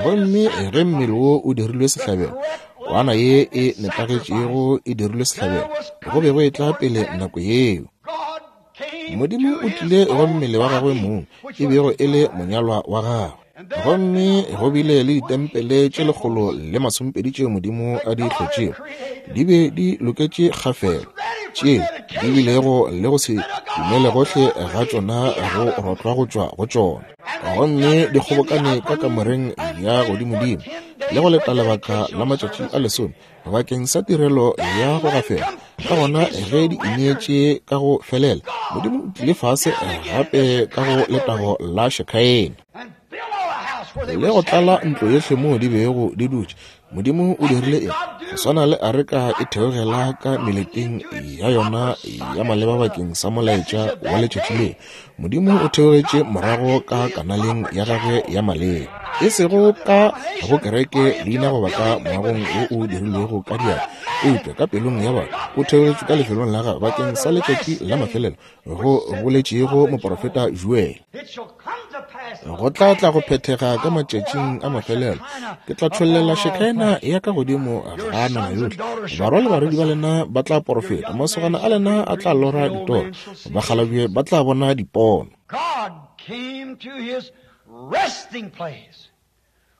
Gomme ge mmele wo o dirilwe sehlabelo, kwana ye e nepagetšego e dirilwe sehlabelo, go be go etla pele nako yeo. Modimo o tlile go mmele wa gagwe mong, e bego e le monyalwa wa gagwe. Gomme go bile le ditempele tše 120 tšeo Modimo a di hlotšego, di be di loketše kgafelo, tše di bilego le go se dumele gohle ga tšona go rotlwa go tšwa go tšona. Gomme di kgobokane ka kamoreng ya godimodimo le go leta lebaka la matšatši a 10 bakeng sa tirelo ya go gafela. Ka gona ge di ineetše ka go felela, Modimo o tlile fase gape ka go letago la Shekhaena le go tlala ntlo yohle moo di bego di dutše. Modimo o dirile eng? Go swana le areka e theogela ka meleteng ya yona ya maleba bakeng sa molaetša wa letšatši leo, Modimo o theogetše morago ka kanaleng ya gagwe ya maleba, e sego ka go kereke leina goba ka moagong wo o dirilwego ka diatla, eupša ka pelong ya batho. O theogetše ka lefelong la gagwe bakeng sa letšatši la mafelelo, go boletšego moprofeta Joele. Go tla tla go phethega ka matšatšing a mafelelo, ke tla tšhollela Shekhaena ya ka godimo ga nama yohle. Barwa le barwedi ba lena ba tla porofeta, masogana a lena a tla lora ditoro, bakgalabje ba tla bona dipono. God came to his resting place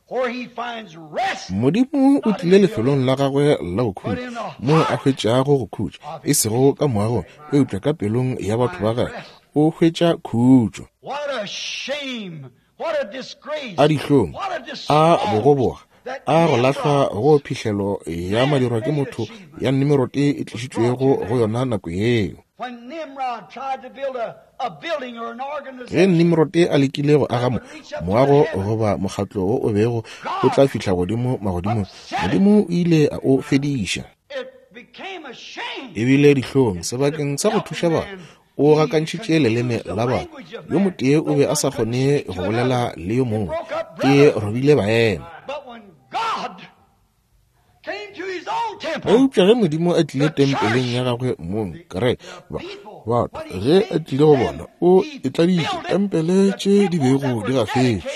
where he finds rest. Modimo o tlile lefelong la gagwe la go khutša, moo a hwetšago go khutša, e sego ka moagong, eupša ka pelong ya batho ba gagwe o hwetša khutšo. What a shame, what a disgrace, A dihlong, what a a disgrace bogoboga, that a go lahlwa Nimrod go phihlelo ya madirwa ke motho ya Nimirode e tlišitšwego go yona nako yeo. When Nimrod tried to build a building or an Ge organization, Nimrode a lekile go aga moago goba mokgatlo wo o bego o tla fihla godimo magodimong, Modimo o ile a o fediša. it became a shame. E bile dihlong sebakeng sa go thuša batho, o gakantšhitše leleme la batho. Yo motee o be a sa kgone go bolela le yo mongwe, e robile baena. But when God came to his own temple, Eupša ge Modimo a tlile tempeleng ya gagwe mong, kereke, batho, ge a tlile go bona, o e tladitše tempele tše di bego di gafetšwe.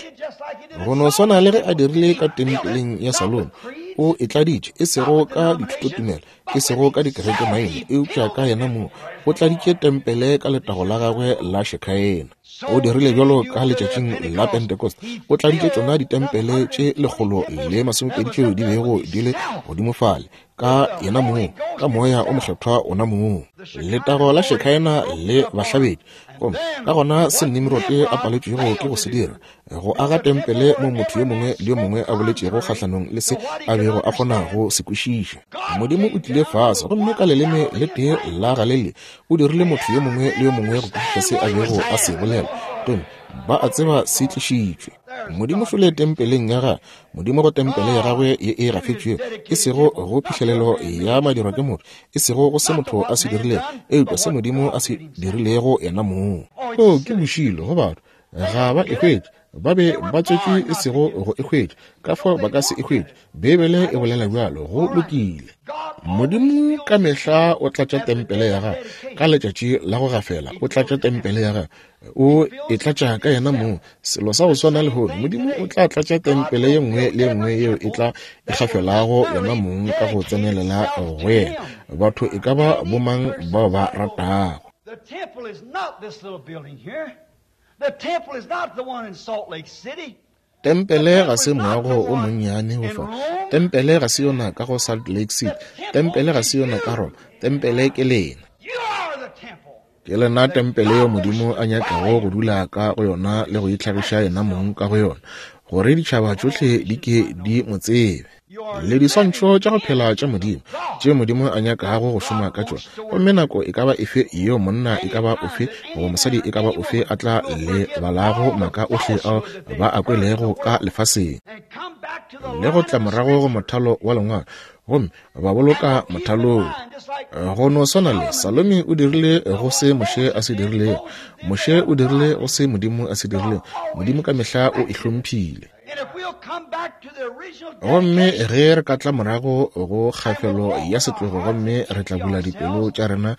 Go no swana le ge a dirile ka tempeleng ya Salomo, o e tladitše, e sego ka dithutotumelo, e sego ka dikereke maina, eupša ka yena mong o tladitše tempele ka letago la gagwe la Shekhaena. O dirile bjalo ka letšatšing la Pentecost, o tladitše tšona ditempele tše 120 tšeo di bego di le godimo fale, ka yena mong, ka moya o mokgethwa ona mong. Letago la Shekhaena le bahlabedi. Gomme ka gona se Nimrode a paletšwego ke go se dira, go aga tempele mo motho yo mongwe le yo mongwe a boletšego kgahlanong le se a bego a kgona go se kwešiša. Modimo o tlile fase gomme ka leleme le tee la Galilea o dirile motho yo mongwe le yo mongwe go kwešiša se a bego a se bolela, gomme ba a tseba se tlišitšwe. Modimo šole tempeleng ya gagwe, Modimo go tempele ya gagwe ye e gafetšwego, e sego go phihlelelo ya madirwa ke motho, e sego go se motho a se dirilego, eupša se Modimo a se dirilego yena mong. Oo, ke bošilo go batho, ga ba e hwetše. Ba be ba tswetšwe e sego go e hwetša, ka fao ba ka se e hwetše. Beibele e bolela bjalo. Go lokile. Modimo ka mehla o tlatša tempele ya gagwe ka letšatši la go gafela. O tlatša tempele ya gagwe, o e tlatša ka yena mong. Selo sa go swana lehono, Modimo o tla tlatša tempele ye nngwe le ye nngwe yeo e tla e gafelago yona mong ka go tsenelela go yena, batho e ka ba bomang bao ba ratago. The temple is not this little building here. The temple is not the one in Salt Lake City. Tempele ga se moago o monnyane go fa. Tempele ga se yona ka go Salt Lake City. Tempele ga se yona ka Roma. Tempele ke lena. You are the temple. Ke lena tempele yeo Modimo a nyakago go dula ka go yona le go itlhagiša yena mong ka go yona. gore ditšhaba tšohle di ke di mo tsebe. Le diswantšho tša go phela tša Modimo, tše Modimo a nyakago go šoma ka tšona. Gomme nako e ka ba efe yeo monna e ka ba ofe goba mosadi e ka ba ofe a tla lebalago maaka ohle ao ba a kwelego ka lefaseng, le go tla morago go mothalo wa Lengwalo, gomme ba boloka mothalong. Go no swana le Salome o dirile go se Moshe a se dirilego, Moshe o dirile go se Modimo a se dirilego. Modimo ka mehla o e hlomphile. Gomme ge re ka tla morago go kgafelo ya setlogo, gomme re tla bula dipelo tša rena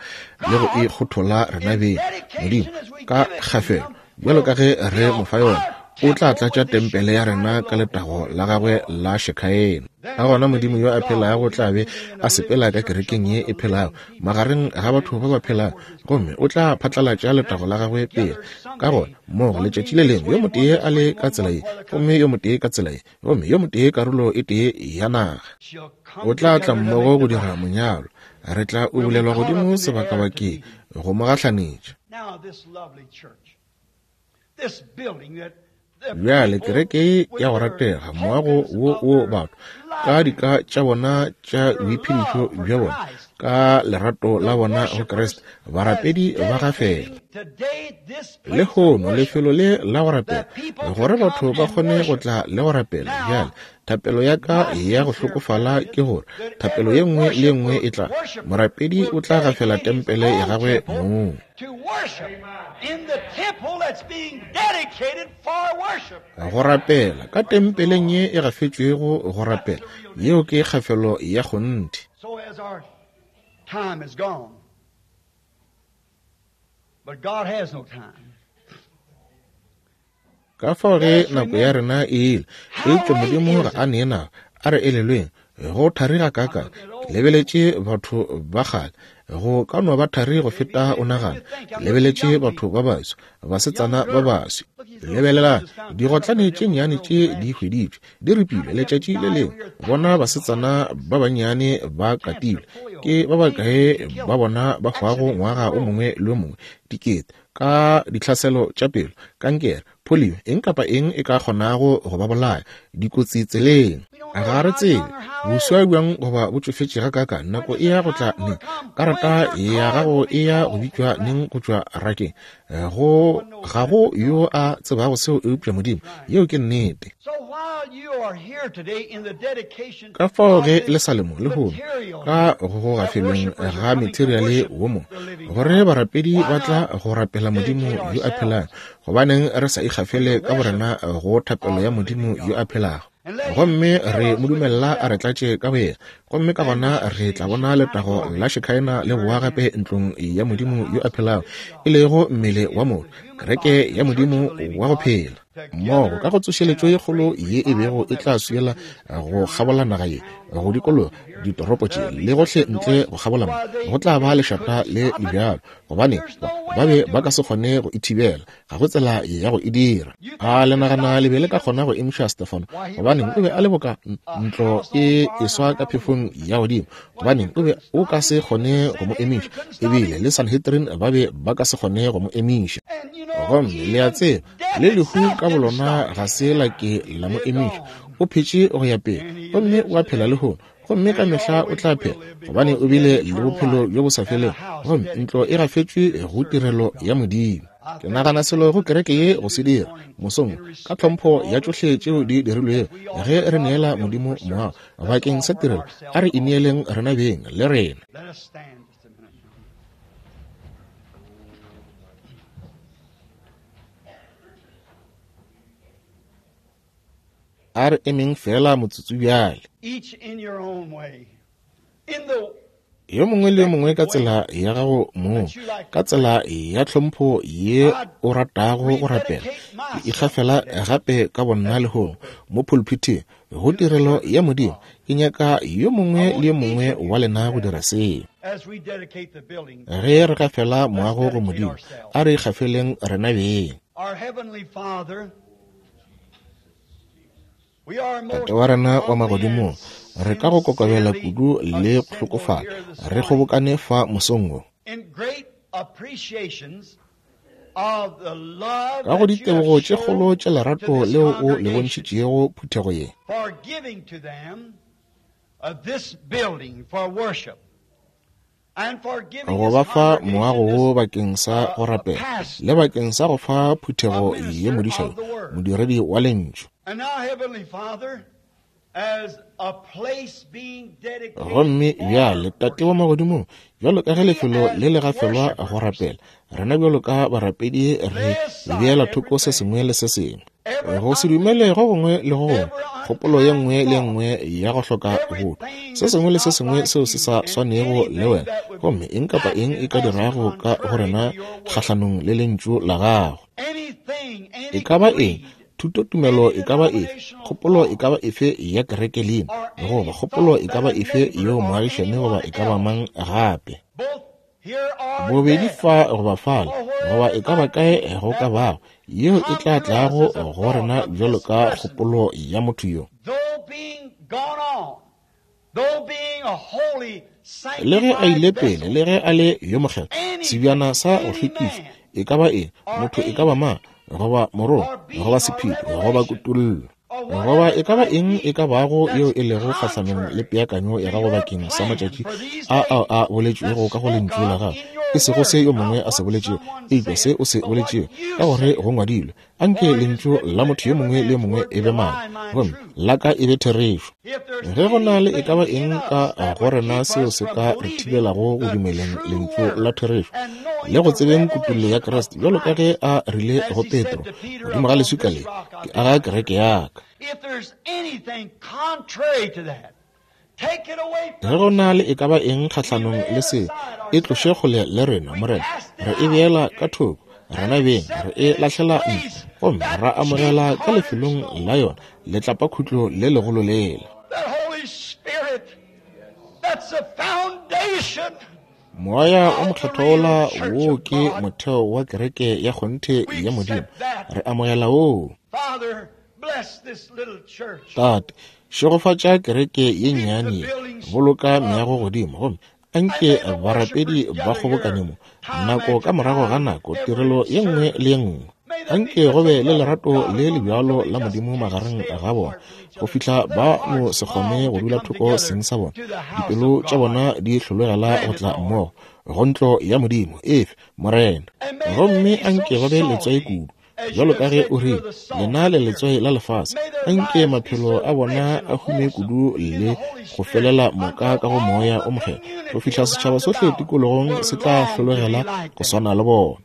le go e kgothola rena beng, Modimo ka kgafelo, bjalo ka ge re mo fa yona, o tla tlatša tempele ya rena ka letago la gagwe la Shekhaena. Ka gona Modimo yo a phelago o tla be a sepela ka kerekeng ye e phelago, magareng ga batho ba ba phelago, gomme o tla phatlalatša letago la gagwe pele. Ka gona mmogo letšatši le lengwe, yo motee a le ka tsela ye, gomme yo motee ka tsela ye, gomme yo motee karolo e tee ya naga, o tla tla mmogo go dira monyalo. Re tla ubulelwa godimo sebakabakeng go mo gahlanetša. Bjale kereke ya go ratega, moago wo wo batho ka dika tša bona tša boiphedišo bja bona, ka lerato la bona go Kriste, barapedi ba gafela lehono lefelo le la go rapela, gore batho ba kgone go tla le go rapela. Bjale thapelo ya ka ya go hlokofala ke gore thapelo ye nngwe le ye nngwe e tla, morapedi o tla gafela tempele ya gagwe mong. Go rapela ka tempeleng ye e gafetšwego go rapela, yeo ke kgafelo ya kgonthe. Ka fao ge nako ya rena e ile, eupša Modimo ga a nee nako. A re elelweng, go thari gakaakang. Ke lebeletše batho ba kgale, go ka no ba thari go feta o nagana. Ke lebeletše batho ba baswa, basetsana ba baswi. Lebelelang, digotlane tše nnyane tše di hweditšwe, di ripilwe letšatši le lengwe. Bona basetsana ba bannyane ba katilwe. Ke ba bakae ba bona ba hwago ngwaga o mongwe le o mongwe? Dikete. Ka ditlhaselo tša pelo, kankere, polio, eng kapa eng e ka kgonago go ba bolaya, dikotsi tseleng. Ga re tsebe boswa bjang goba bo tšofetše gakaakang, nako e ya go tla neng, karata ya gago e ya go bitšwa neng go tšwa rakeng. Go ga go yo a tsebago seo eupša Modimo. Yeo ke nnete. Ka fao ge le sa le mo lehono, ka go gafelweng ga materiale wo mo, gore barapedi ba tla go rapela Modimo yo a phelago, gobaneng re sa ikgafele ka borena go thapelo ya Modimo yo a phelago, gomme re mo dumella a re tlatše ka boyena, gomme ka gona re tla bona letago la Shekhaena le boa gape ntlong ya Modimo yo a phelago, e lego mmele wa motho, kereke ya Modimo wa go phela. Mmogo ka go tsošeletšo ye kgolo ye e bego e tla swiela go kgabola naga ye, go dikologa ditoropo tše le gohle ntle go kgabola mo, go tla ba lešata le le bjalo, gobane ba be ba ka se kgone go e thibela. Ga go tsela ya go e dira. A le nagana le be le ka kgona go emiša Stefano? Gobaneng, o be a le boka ntlo e eswa ka phefong ya godimo. Gobaneng, o be o ka se kgone go mo emiša. Ebile le Sanhedrin ba be ba ka se kgone go mo emiša. Gomme le a tseba, le lehu ka bolona ga se la ke la mo emiša. O phetše go ya pele, gomme o a phela lehono, gomme ka mehla o tla phela, gobane o bile le bophelo bjo bo sa felego, gomme ntlo e gafetšwe go tirelo ya Modimo. Ke nagana selo go kereke ye go se dira mosong, ka tlhompho ya tšohle tšeo di dirilwego, ge re neela Modimo moago bakeng sa tirelo, a re ineeleng rena beng le rena. A re emeng feela motsotso bjale. Yo mongwe le yo mongwe ka tsela ya gago mong, ka tsela ya tlhompho ye o ratago go rapela, ke ikgafela gape ka bonna lehono mo pulpithing go tirelo ya Modimo. Ke nyaka yo mongwe le yo mongwe wa lena go dira seo. Ge re gafela moago go Modimo, a re ikgafeleng rena beng. Tate wa rena wa magodimong, re ka go kokobela kudu le go hlokofala re kgobokane fa mosong wo. Ka go ditebogo tše kgolo tša lerato leo o le bontšhitšego phuthego ye, go ba fa moago wo bakeng sa go rapela le bakeng sa go fa phuthego ye modiša yo, modiredi wa Lentšu. Gomme bjale, Tate wa Magodimong, bjalo ka ge lefelo le le gafelwa go rapela, rena bjalo ka barapedi re beela thoko se sengwe le se sengwe, go se dumele go gongwe le go gongwe, kgopolo ye nngwe le ye nngwe ya go hloka botho, se sengwe le se sengwe seo se sa swanego le wena, gomme eng kapa eng e ka dirago ka go rena kgahlanong le Lentšu la Gago. E ka ba eng, thutotumelo e ka ba efe, kgopolo e ka ba efe ya kereke leina, goba kgopolo e ka ba efe yeo moagišane goba e ka ba mang gape, bobedi fa goba fale, goba e ka ba kae go ka bago, yeo e tla tlago go rena bjalo ka kgopolo ya motho yo. Le ge a ile pele, le ge a le yo mokgethwa, sebjana sa go hlwekišwa, e ka ba eng, motho e ka ba mang, goba morongwa, goba sephiri, goba kutollo, goba e ka ba eng e ka bago yeo e lego kgahlanong le peakanyo ya gago bakeng sa matšatši a ao a boletšwego ka go Lentšu la gago, e sego se yo mongwe a se boletšego, eupša se o se boletšego, ka gore go ngwadilwe, Anke lentšu la motho yo mongwe le yo mongwe e be maaka, gomme la ka e be therešo. Ge go na le e ka ba eng ka go rena seo se ka re thibelago go dumeleng lentšu la therešo le go tsebeng kutollo ya Kriste, bjalo ka ge a rile go Petro, Godimo ga leswika le ke aga kereke ya ka. Ge go na le e ka ba eng kgahlanong le se, e tloše kgole le rena, Morena. Re e beela ka thoko, rena beng, re e lahlela ntle, gomme ra amogela ka lefelong la yona letlapakhutlo le legolo lela. Moya o Mokgethwa wola, woo ke motheo wa kereke ya kgonthe ya Modimo. Re amogela woo. Tate, šegofatša kereke ye nnyane ye, boloka meago godimo, gomme anke barapedi ba kgobokane mo, nako ka morago ga nako, tirelo ye nngwe le ye nngwe. Anke go be le lerato le le bjalo la Modimo magareng ga bona, go fihla ba no se kgone go dula thoko seng sa bona, dipelo tša bona di hlologela go tla mmogo go ntlo ya Modimo. Efe, Morena. Gomme anke ba be letswai kudu, Bjalo ka ge o rile, Lena le letswai la lefase, anke maphelo a bona a hume kudu le go felela moka ka go Moya o Mokgethwa, go fihla setšhaba sohle tikologong se tla hlologela go swana le bona.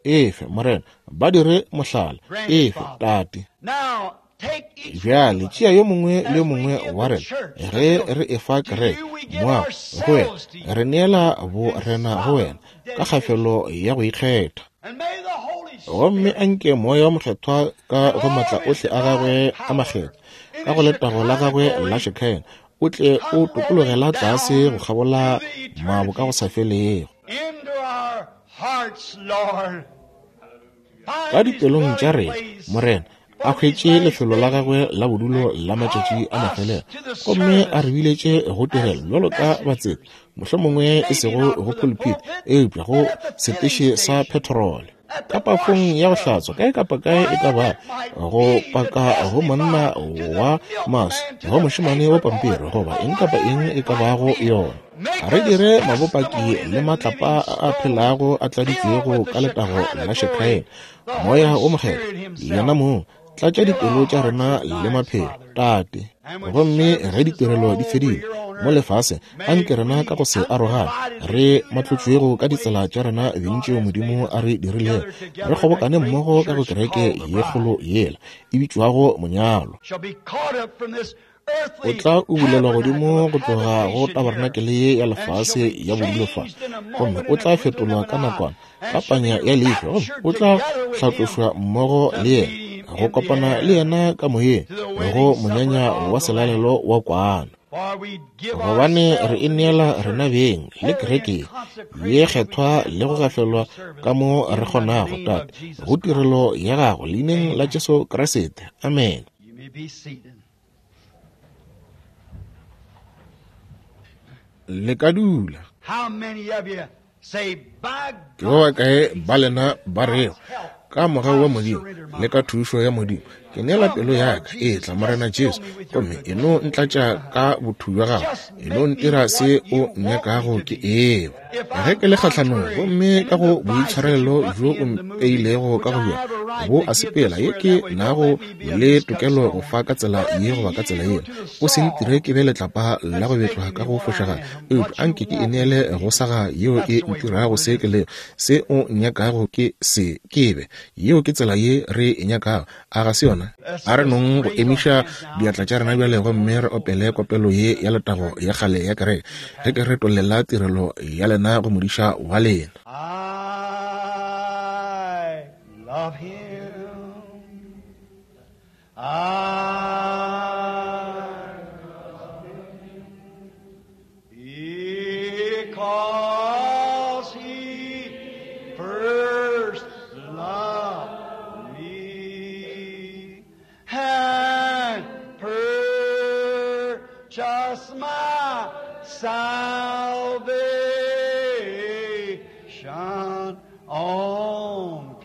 Efe, Morena, ba dire mohlala. Efe, Tate. Bjale tšea yo mongwe le yo mongwe wa rena, ge re efa kereke moago go wena, re neela bo rena go wena ka kgafelo ya go ikgetha. Gomme anke Moya wa Mokgethwa ka go matla ohle a gagwe a makgethwa, ka go letago la gagwe la Shekinah, o tle o tokologela tlase go kgabola mabo ka go sa felego. Ka dipelong tša rena, Morena, a hwetše lefelo la gagwe la bodulo la matšatši a mafelelo, gomme a re biletše go tirelo bjalo ka batseta, mohlomongwe e sego go pulpit, eupša go seteše sa petrole, ka pafong ya go hlatswa, kae kapa kae e ka ba, go paka go monna wa maswi, go mošemane wa pampiri, goba eng kapa eng e ka bago yona. Re dire mabopaki le matlapa a a phelago a tladitšwego ka letago la Shekinah, Moya wo Mokgethwa, Yena mong, tlatša dipelo tša rena le maphelo, Tate. Gomme ge ditirelo di fedile mo lefaseng, anke rena ka go se arogane, re matlotšwego ka ditsela tša rena beng tšeo Modimo a re dirilego, re kgobokane mmogo ka go kereke ye kgolo yela e bitšwago Monyalwa. O tla ubulelwa godimo go tloga go tabarenakele ye ya lefase ya bodulo fa, gomme o tla fetolwa ka nakwana ka panya ya leihlo, gomme o tla hlatlošwa mmogo le yena, go kopana le yena ka moyeng, go monyanya wa selalelo wa kwana. Gobane re e neela rena beng le kereke ye kgethwa le go gafelwa ka mo re kgonago, Tate, go tirelo ya gago, leineng la Jesu Kriste. Amene. Le ka dula. Ke ba bakae ba lena ba rego, Ka mogau wa Modimo le ka thušo ya Modimo, ke neela pelo ya ka, etla, Morena Jesu, gomme e no ntlatša ka botho bja Gago, e no ntira se O nnyakago ke eba. Ge ke le kgahlanong, gomme ka go boitshwarelelo bjo O mpeilego ka go bjona, bo a sepela, ye ke nago le tokelo go fa ka tsela ye goba ka tsela yela, O se ntire ke be letlapa la go betlwa ka go fošagala, eupša a nke ke ineele go saga yeo e ntirago se ke lego, se O nnyakago ke se ke be. Yeo ke tsela ye re e nyakago, a ga se yona? A re nong go emiša diatla tša rena bjale gomme re opele kopelo ye ya letago ya kgale ya kereke, ge ke retollela tirelo ya lena go modiša wa lena. I love him. I love him because he first loved me and purchased my salvation on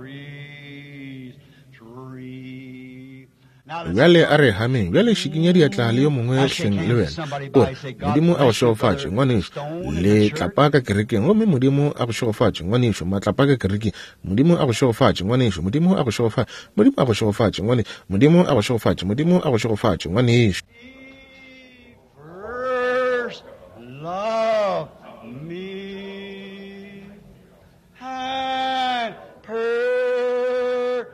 Calvary's tree. Bjale a re hameng. Bjale šikinya diatla le yo mongwe hleng le wena. O re, Modimo a go šegofatše, ngwanešu. Letlapa ka kerekeng. Gomme Modimo a go šegofatše, ngwanešu. Matlapa ka kerekeng. Modimo a go šegofatše, ngwanešu. Modimo a go šegofatše. Modimo a go šegofatše, ngwanešu. Modimo a go šegofatše. Modimo a go šegofatše, ngwanešu. He first loved me and purchased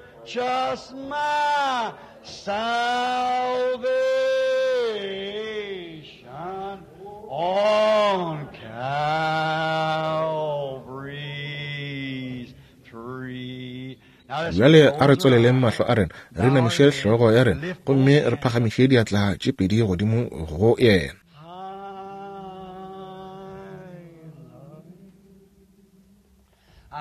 my salvation on Calvary's tree. Now let's Bjale a re close our tswaleleng eyes. mahlo a rena, re inamiše hlogo ya rena, gomme re phagamiše diatla tše pedi godimo go yena. I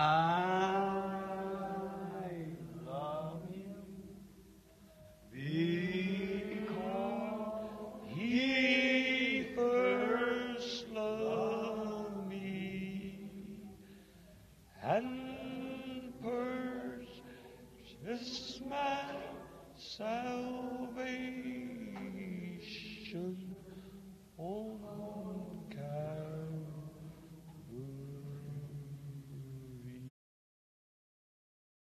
love him because he first loved me and purchased my salvation on